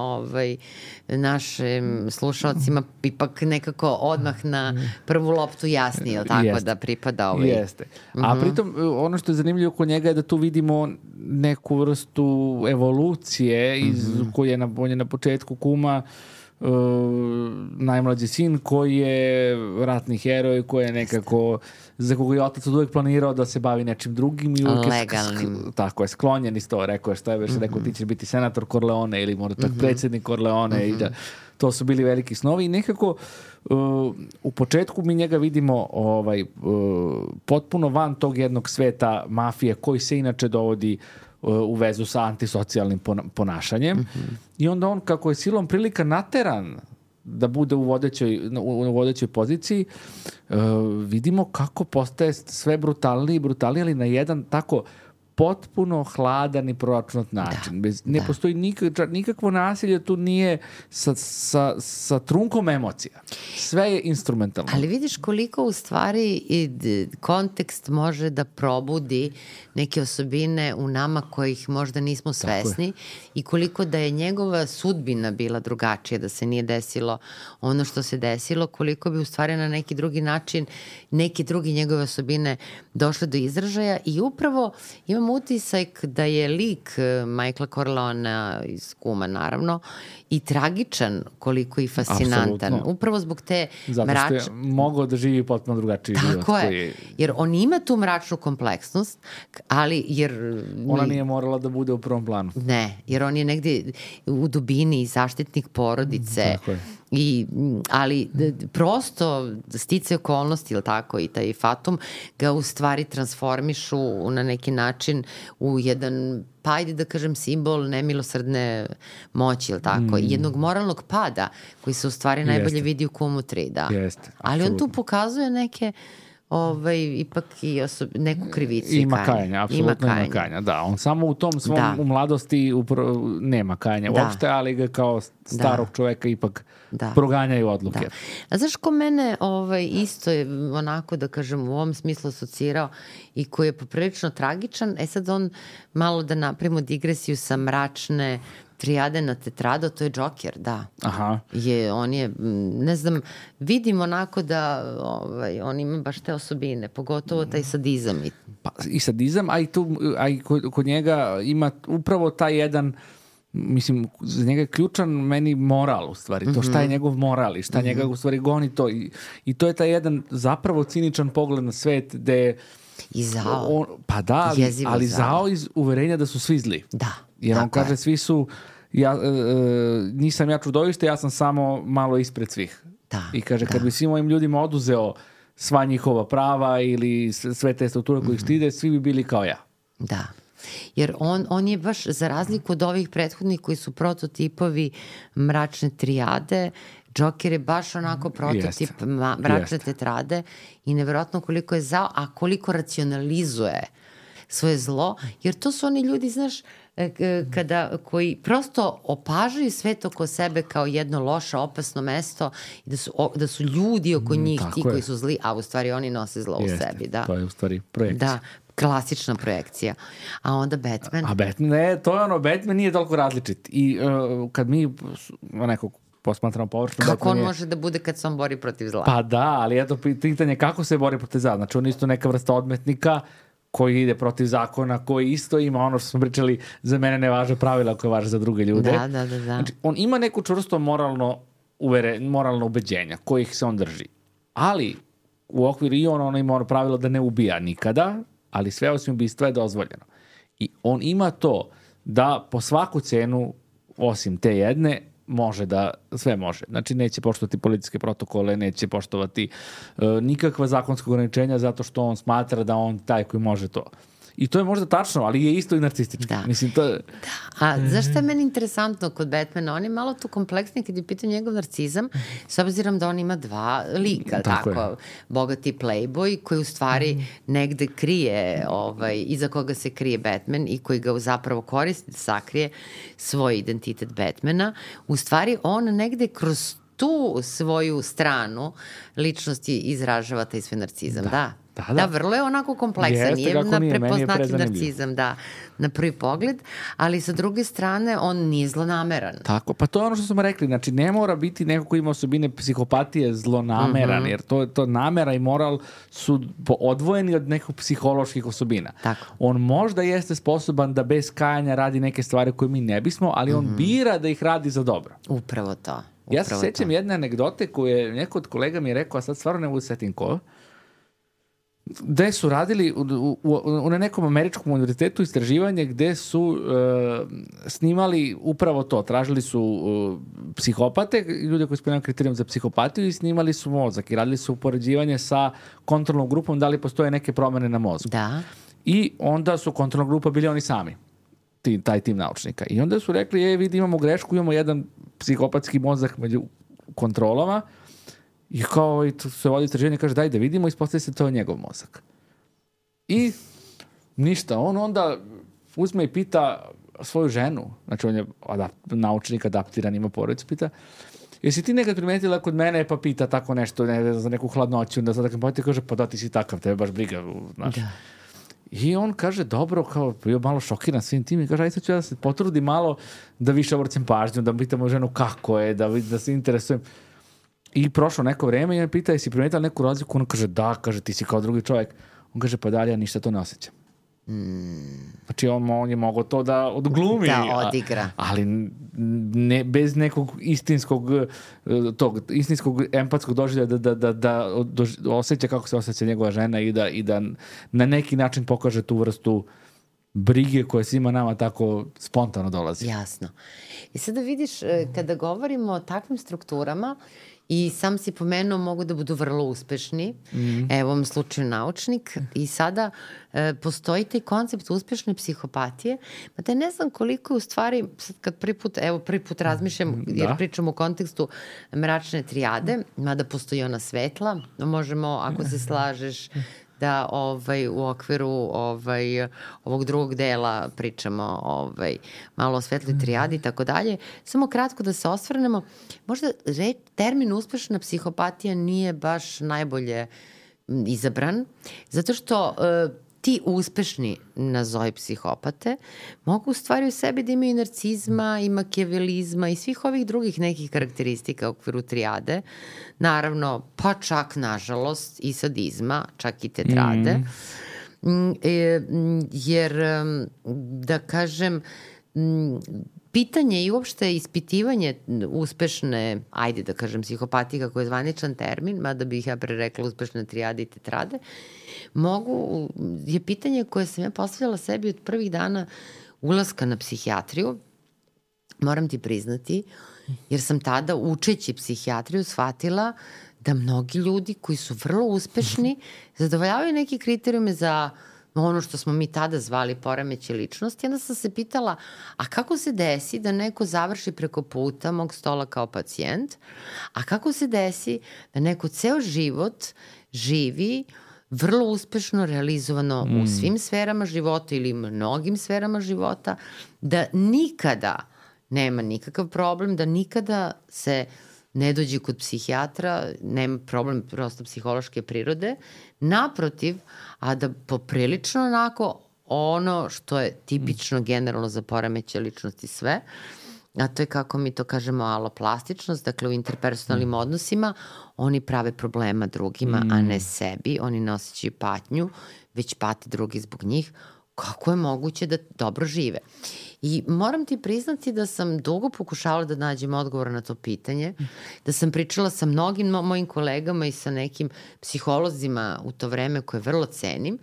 našim slušalcima ipak nekako odmah na prvu loptu jasnije, tako da pripada Jeste. A pritom, ono što je zanimljivo kod njega je da tu vidimo neku vrstu evolucije koji je na početku kuma najmlađi sin koji je ratni heroj, koji je nekako za koga je otac uvijek planirao da se bavi nečim drugim i legalnim. Tako je, sklonjen iz to, rekao je što je već rekao, ti ćeš biti senator Corleone ili možda tak predsjednik Corleone i da to su bili veliki snovi i nekako u početku mi njega vidimo potpuno van tog jednog sveta mafije koji se inače dovodi u vezu sa antisocijalnim ponašanjem i onda on, kako je silom prilika nateran da bude u vodećoj poziciji, vidimo kako postaje sve brutalniji, ali na jedan tako potpuno hladan i proračunat način. Ne postoji nikakvo nasilje, tu nije sa trunkom emocija. Sve je instrumentalno. Ali vidiš koliko u stvari kontekst može da probudi neke osobine u nama kojih možda nismo svesni i koliko da je njegova sudbina bila drugačija, da se nije desilo ono što se desilo, koliko bi u stvari na neki drugi način neke drugi njegove osobine došle do izražaja i upravo imam utisak da je lik Michaela Corleonea iz Kuma, naravno, i tragičan koliko i fascinantan. Absolutno. Upravo zbog te zato što je mogao da živi potpuno drugačiji život. Tako je. Jer on ima tu mračnu kompleksnost, ali jer... Ona nije morala da bude u prvom planu. Ne, jer on je negdje u dubini zaštitnik porodice. Tako je. Ali prosto stice okolnosti ili tako i taj fatum ga u stvari transformišu na neki način u jedan, pa ajde da kažem, simbol nemilosrdne moći ili tako, jednog moralnog pada koji se u stvari najbolje vidi u Kumu 3, da. Jeste, ali on tu pokazuje neke ipak i neku krivicu i ima kajanja, apsolutno ima kajanja, da. On samo u tom svom u mladosti nema kajanja uopšte, ali ga kao starog čoveka ipak proganjaju odluke. Da. A znaš ko mene isto je onako, da kažem, u ovom smislu asocirao i koji je poprilično tragičan, sad on malo da napravimo digresiju sa mračne trijade na tetrado, to je Joker, da. Aha. On je, ne znam, vidim onako da on ima baš te osobine, pogotovo taj sadizam. I sadizam, a i kod njega ima upravo taj jedan, mislim, za njega je ključan meni moral u stvari, to šta je njegov moral i šta njega u stvari goni to. I to je taj jedan zapravo ciničan pogled na svet gde i zao. Pa da, ali zao iz uverenja da su svi zli. Da. Jer on kaže, svi su, nisam ja čudovište, ja sam samo malo ispred svih. Da, i kaže, kad bi svim ovim ljudima oduzeo sva njihova prava ili sve te strukture koje ih štide, svi bi bili kao ja. Da. Jer on je baš, za razliku od ovih prethodnih koji su prototipovi mračne trijade, Joker je baš onako prototip mračne tetrade i nevjerojatno koliko je zao, a koliko racionalizuje svoje zlo, jer to su oni ljudi, znaš, koji prosto opažaju svet oko sebe kao jedno loše, opasno mesto i da su ljudi oko njih ti koji su zli, a u stvari oni nose zlo u sebi. Da. To je u stvari projekcija. Da. klasična projekcija. A onda Batman. A Batman, ne, to je ono, Batman nije toliko različit. I kad mi nekog posmatramo površno... Kako on može da bude kad se on bori protiv zla? Pa da, ali eto pitanje kako se bori protiv zla. Znači on isto neka vrsta odmetnika koji ide protiv zakona, koji isto ima ono što smo pričali, za mene ne važe pravila koje važe za druge ljude. Da. Znači, on ima neku čvrsto moralno ubeđenja kojih se on drži. Ali u okviru i on ima ono pravilo da ne ubija nikada, ali sve osim ubistva je dozvoljeno. I on ima to da po svaku cenu, osim te jedne, sve može. Znači neće poštovati policijske protokole, neće poštovati nikakva zakonska ograničenja zato što on smatra da on taj koji može to. I to je možda tačno, ali je isto i narcistički. Da. Mislim, to je... A zašto je meni interesantno kod Batmana? On je malo tu kompleksniji kad je pitao njegov narcizam, s obzirom da on ima dva lika, tako bogati playboy koji u stvari negde krije, iza koga se krije Batman i koji ga zapravo koristi da sakrije svoj identitet Batmana. U stvari on negde kroz tu svoju stranu ličnosti izražava taj svoj narcizam. Da, vrlo je onako kompleksan. Nije na prepoznatljiv narcizam, na prvi pogled, ali sa druge strane on nije zlonameran. Tako, pa to je ono što smo rekli, znači ne mora biti neko ko ima osobine psihopatije zlonameran, jer to namera i moral su odvojeni od nekih psiholoških osobina. Tako. On možda jeste sposoban da bez kajanja radi neke stvari koje mi ne bismo, ali on bira da ih radi za dobro. Upravo to. Ja se sjećam jedne anegdote koju je neko od kolega mi je rekao, a sad stvarno ne mogu setim ko, gde su radili na nekom američkom univerzitetu istraživanje gde su snimali upravo to. Tražili su psihopate, ljude koji ispunjavaju kriterijum za psihopatiju i snimali su mozak i radili su upoređivanje sa kontrolnom grupom da li postoje neke promene na mozgu. Da. I onda su kontrolna grupa bili oni sami, taj tim naučnika. I onda su rekli, vidi, imamo grešku, imamo jedan psihopatski mozak među kontrolama. I kao se vodi istraživanje, kaže daj da vidimo, ispostavi se to je njegov mozak. I ništa, on onda uzme i pita svoju ženu, znači on je naučnik, adaptiran, ima porodicu, pita, jesi ti nekad primetila kod mene, pa pita tako nešto, za neku hladnoću, da sad pa ti kaže, pa da ti si takav, tebe baš briga, znaš. Da. I on kaže, dobro, kao bio malo šokiran svim tim i kaže, aj sad ću ja da se potrudim malo da više obracim pažnju, da pitamo ženu kako je, da se interesujem. I prošlo neko vreme i on pita, jesi primetila neku razliku? On kaže, da, kaže, ti si kao drugi čovjek. On kaže, pa dalje, ja ništa to ne osjećam. Znači, on je mogao to da odglumi. Da, odigra. Ali ne, bez nekog istinskog empatskog doživljaja da osjeća kako se osjeća njegova žena i da na neki način pokaže tu vrstu brige koja svima nama tako spontano dolazi. Jasno. I sada vidiš, kada govorimo o takvim strukturama, i sam si pomenuo, mogu da budu vrlo uspešni, evo u ovom slučaju naučnik, i sada postoji taj koncept uspešne psihopatije, pa da ne znam koliko je u stvari, sad kad prvi put razmišljam, jer pričam u kontekstu mračne trijade, mada postoji ona svetla, možemo, ako se slažeš, da u okviru ovog drugog dela pričamo malo o svetloj trijadi i tako dalje. Samo kratko da se osvrnemo. Možda termin uspešna psihopatija nije baš najbolje izabran, zato što ti uspešni, nazovi psihopate, mogu u stvari u sebi da imaju i narcizma, i makijavelizma i svih ovih drugih nekih karakteristika u okviru trijade. Naravno, pa čak, nažalost, i sadizma, čak i tetrade. Jer, da kažem, pitanje i uopšte ispitivanje uspešne, ajde da kažem, psihopatije, kako je zvaničan termin, mada bih ja prerekla uspešne trijade i tetrade, je pitanje koje sam ja postavljala sebi od prvih dana ulaska na psihijatriju, moram ti priznati, jer sam tada učeći psihijatriju shvatila da mnogi ljudi koji su vrlo uspešni zadovoljavaju neki kriterijume za ono što smo mi tada zvali poremeće ličnosti. Onda sam se pitala, a kako se desi da neko završi preko puta mog stola kao pacijent, a kako se desi da neko ceo život živi vrlo uspešno realizovano u svim sferama života ili mnogim sferama života, da nikada nema nikakav problem, da nikada se ne dođe kod psihijatra, nema problem prosto psihološke prirode, naprotiv, a da poprilično onako ono što je tipično generalno za poremećaj ličnosti sve, a to je kako mi to kažemo aloplastičnost, dakle u interpersonalnim odnosima oni prave problema drugima, a ne sebi, oni ne osjećaju patnju, već pate drugi zbog njih. Kako je moguće da dobro žive? I moram ti priznati da sam dugo pokušavala da nađem odgovor na to pitanje, da sam pričala sa mnogim mojim kolegama i sa nekim psiholozima u to vreme koje vrlo cenim.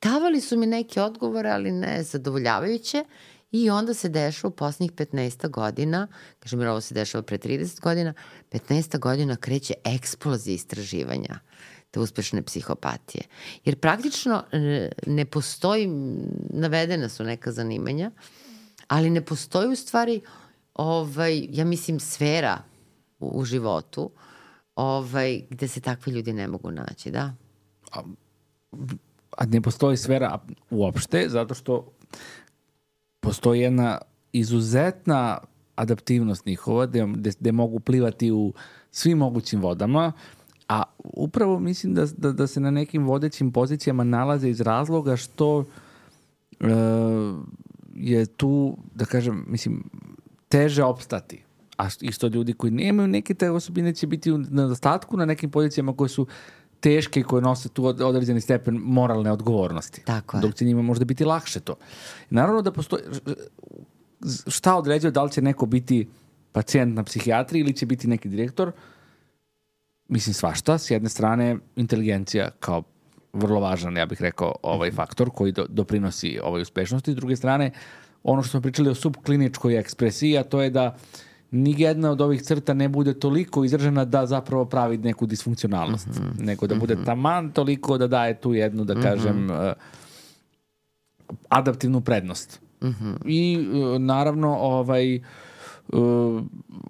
Davali su mi neke odgovore, ali ne zadovoljavajuće, i onda se dešava u poslednjih 15 godina, kažem jer ovo se dešava pre 30 godina, 15 godina kreće eksplozija istraživanja te uspešne psihopatije. Jer praktično ne postoji, navedena su neka zanimanja, ali ne postoji u stvari, ja mislim, sfera u životu gde se takvi ljudi ne mogu naći, da? A ne postoji sfera uopšte, zato što postoji jedna izuzetna adaptivnost njihova, gde mogu plivati u svim mogućim vodama, a upravo mislim da se na nekim vodećim pozicijama nalaze iz razloga što je tu, da kažem, mislim, teže opstati. A isto ljudi koji nemaju neke te osobine će biti u nedostatku na nekim pozicijama koje su teške i koje nose tu određeni stepen moralne odgovornosti. Tako je. Dok će njima možda biti lakše to. Naravno da postoji, šta određuje da li će neko biti pacijent na psihijatriji ili će biti neki direktor, mislim svašta. S jedne strane, inteligencija kao vrlo važan, ja bih rekao, faktor koji doprinosi ovoj uspešnosti. S druge strane, ono što smo pričali o subkliničkoj ekspresiji, a to je da nijedna od ovih crta ne bude toliko izražena da zapravo pravi neku disfunkcionalnost, nego da bude taman toliko da daje tu jednu, da kažem, adaptivnu prednost. I naravno,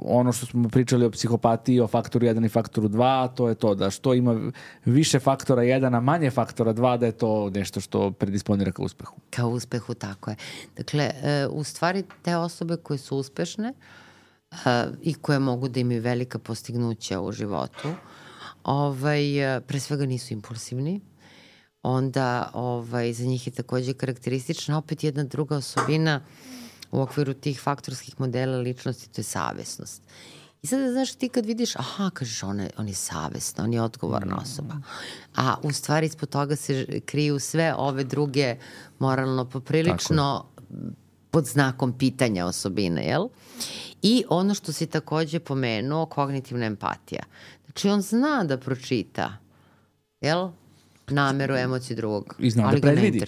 ono što smo pričali o psihopatiji, o faktoru 1 i faktoru 2, to je to da što ima više faktora 1, a manje faktora 2, da je to nešto što predisponira ka uspehu. Ka uspehu, tako je. Dakle, u stvari te osobe koje su uspešne i koje mogu da imaju velika postignuća u životu, pre svega nisu impulsivni, onda za njih je takođe karakteristična opet jedna druga osobina u okviru tih faktorskih modela ličnosti, to je savesnost. I sada, znaš, ti kad vidiš, kažeš, on je savesna, on je odgovorna osoba. A u stvari ispod toga se kriju sve ove druge moralno poprilično pod znakom pitanja osobine, jel? I ono što si takođe pomenuo, kognitivna empatija. Znači, on zna da pročita, jel? Nameru, emociju drugog. I zna da predvidi.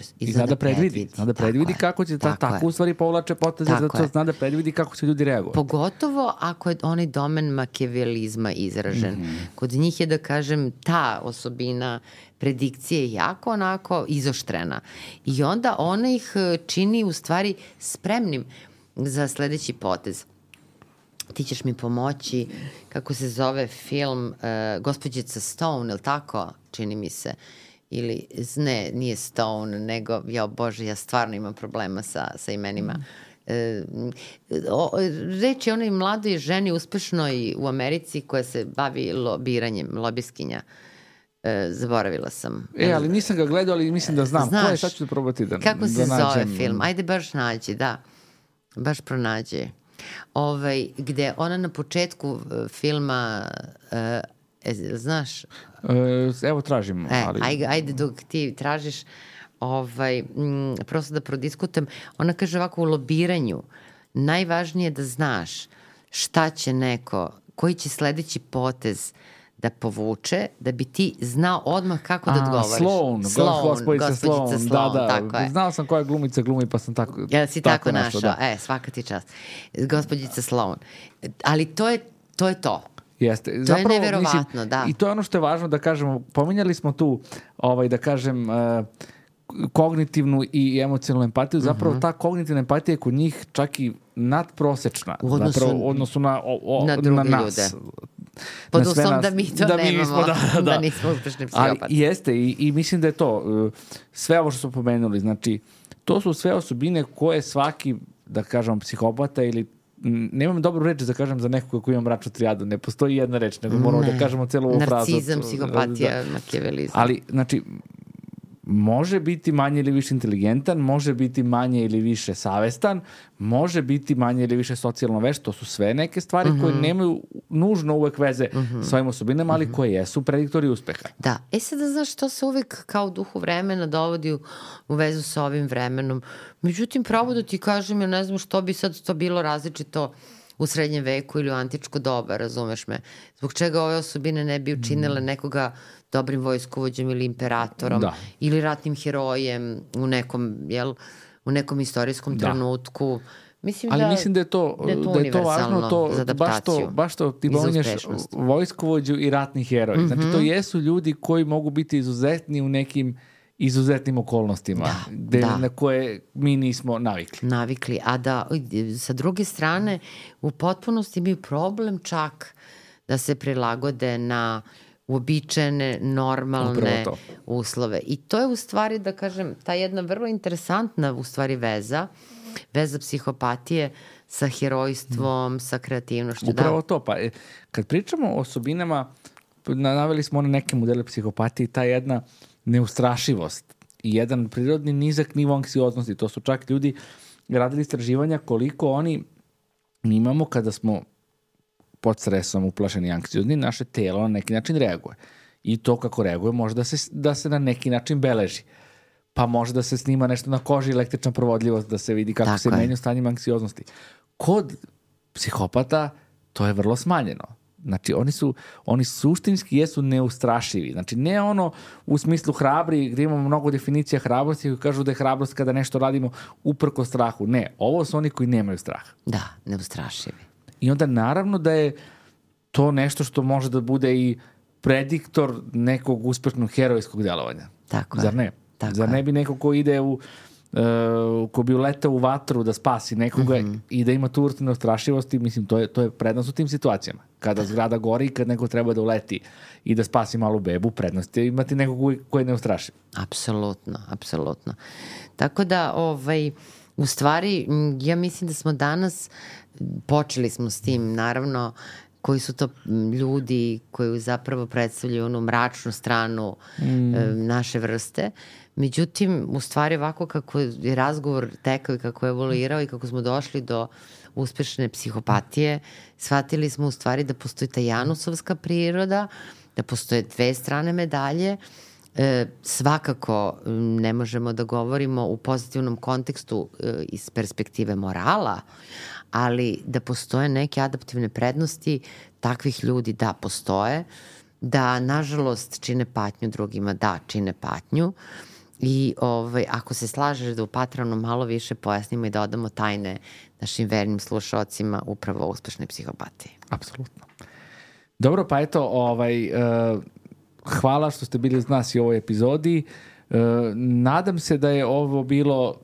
Zna da predvidi kako će tako u stvari povlače poteze, zato zna da predvidi kako će ljudi reagovati. Pogotovo ako je onaj domen makijavelizma izražen. Kod njih je, da kažem, ta osobina predikcije jako onako izoštrena. I onda ona ih čini u stvari spremnim za sledeći potez. Ti ćeš mi pomoći, kako se zove film, Gospođica Stone, ili tako, čini mi se, ili, ne, nije Stone, nego, Bože, ja stvarno imam problema sa imenima. Reč je onoj mladoj ženi uspešnoj u Americi koja se bavi lobiranjem, lobiskinja. Zaboravila sam. Ali nisam ga gledao, ali mislim da znam. Znaš, ko je, sad ću da probati da nađem. Kako se zove film? Ajde baš nađi, da. Baš pronađi. Gde ona na početku filma, znaš? Evo tražim. Ajde dok ti tražiš, prosto da prodiskutujem. Ona kaže ovako, u lobiranju najvažnije je da znaš šta će neko, koji će sledeći potez da povuče, da bi ti znao odmah kako da odgovoriš. Gospođica Sloan, da, tako je. Znao sam koja glumica glumi, pa sam tako si tako našao, da. Svaka ti čast. Gospođica Sloan. Ali to je to. Jeste. To zapravo, je neverovatno, da. I to je ono što je važno da kažemo, pominjali smo tu, da kažem, kognitivnu i emocionalnu empatiju, zapravo ta kognitivna empatija je kod njih čak i nadprosečna. U odnosu na druge nas. Ljude. Pod uslovom da mi to nemamo, da nismo uspešni psihopati. Ali jeste i mislim da je to, sve ovo što smo pomenuli, znači, to su sve osobine koje svaki, da kažemo, psihopata ili nemam dobru reč da kažem za nekog koji ima mračnu trijadu, ne postoji jedna reč, nego moramo da kažemo celu ovu frazu. Narcizam, psihopatija, makijavelizam. Ali, znači, može biti manje ili više inteligentan, može biti manje ili više savestan, može biti manje ili više socijalno vešt, to su sve neke stvari koje nemaju nužno uvek veze s svojim osobinama, ali koje jesu prediktori uspeha. Da, sada znaš, to se uvek kao u duhu vremena dovodi u vezu sa ovim vremenom. Međutim, pravo da ti kažem, ja ne znam što bi sad to bilo različito u srednjem veku ili u antičko doba, razumeš me? Zbog čega ove osobine ne bi učinile nekoga dobrim vojskovođem ili imperatorom ili ratnim herojem u nekom istorijskom trenutku. Mislim da je to važno, baš to ti pominješ vojskovođu i ratni heroj. Znači to jesu ljudi koji mogu biti izuzetni u nekim izuzetnim okolnostima na koje mi nismo navikli. A da sa druge strane u potpunosti imaju problem čak da se prilagode na uobičajene, normalne uslove. I to je u stvari, da kažem, ta jedna vrlo interesantna u stvari veza psihopatije sa herojstvom, sa kreativnošću. Upravo to. Pa kad pričamo o osobinama, naveli smo one neke modele psihopatije, ta jedna neustrašivost i jedan prirodni nizak nivo anksioznosti. To su čak ljudi radili istraživanja koliko oni imamo kada smo pod stresom, uplašeni, anksiozni, naše telo na neki način reaguje. I to kako reaguje može da se na neki način beleži. Pa može da se snima nešto na koži, električna provodljivost, da se vidi kako se menja stanjima anksioznosti. Kod psihopata to je vrlo smanjeno. Znači, oni suštinski jesu neustrašivi. Znači, ne ono u smislu hrabri, gdje imamo mnogo definicija hrabrosti koji kažu da je hrabrost kada nešto radimo uprko strahu. Ne, ovo su oni koji nemaju strah. Da, neustrašivi. I onda naravno da je to nešto što može da bude i prediktor nekog uspešnog herojskog delovanja. Tako Zar ne? Zar ne bi neko ko ide ko bi uletao u vatru da spasi nekoga i da ima tu vrstu neustrašivosti, mislim, to je prednost u tim situacijama. Kada zgrada gori i kad neko treba da uleti i da spasi malu bebu, prednost je imati nekog koji je neustrašiv. Apsolutno. Tako da, u stvari, ja mislim da smo danas, počeli smo s tim, naravno, koji su to ljudi koji zapravo predstavljaju onu mračnu stranu naše vrste. Međutim, u stvari ovako kako je razgovor tekao i kako je evoluirao i kako smo došli do uspešne psihopatije, shvatili smo u stvari da postoji ta janusovska priroda, da postoje dve strane medalje. Svakako ne možemo da govorimo u pozitivnom kontekstu iz perspektive morala, ali da postoje neke adaptivne prednosti takvih ljudi, da postoje, da nažalost čine patnju drugima, da čine patnju. I ako se slažeš da u Patronu malo više pojasnimo i da odamo tajne našim vernim slušalcima upravo o uspešnoj psihopatiji. Apsolutno. Dobro, pa eto, hvala što ste bili uz nas i u ovoj epizodi. Nadam se da je ovo bilo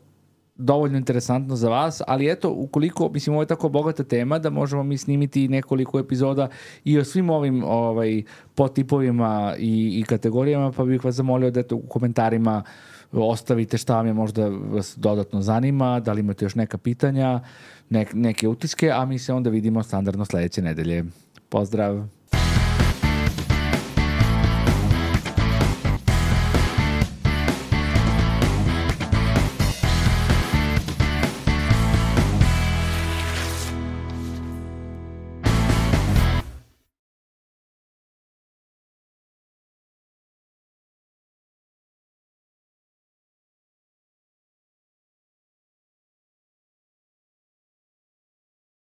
dovoljno interesantno za vas, ali eto, ukoliko, mislim, ovo je tako bogata tema da možemo mi snimiti nekoliko epizoda i o svim ovim podtipovima i kategorijama, pa bih vas zamolio da eto u komentarima ostavite šta vam je možda vas dodatno zanima, da li imate još neka pitanja, neke utiske, a mi se onda vidimo standardno sledeće nedelje. Pozdrav!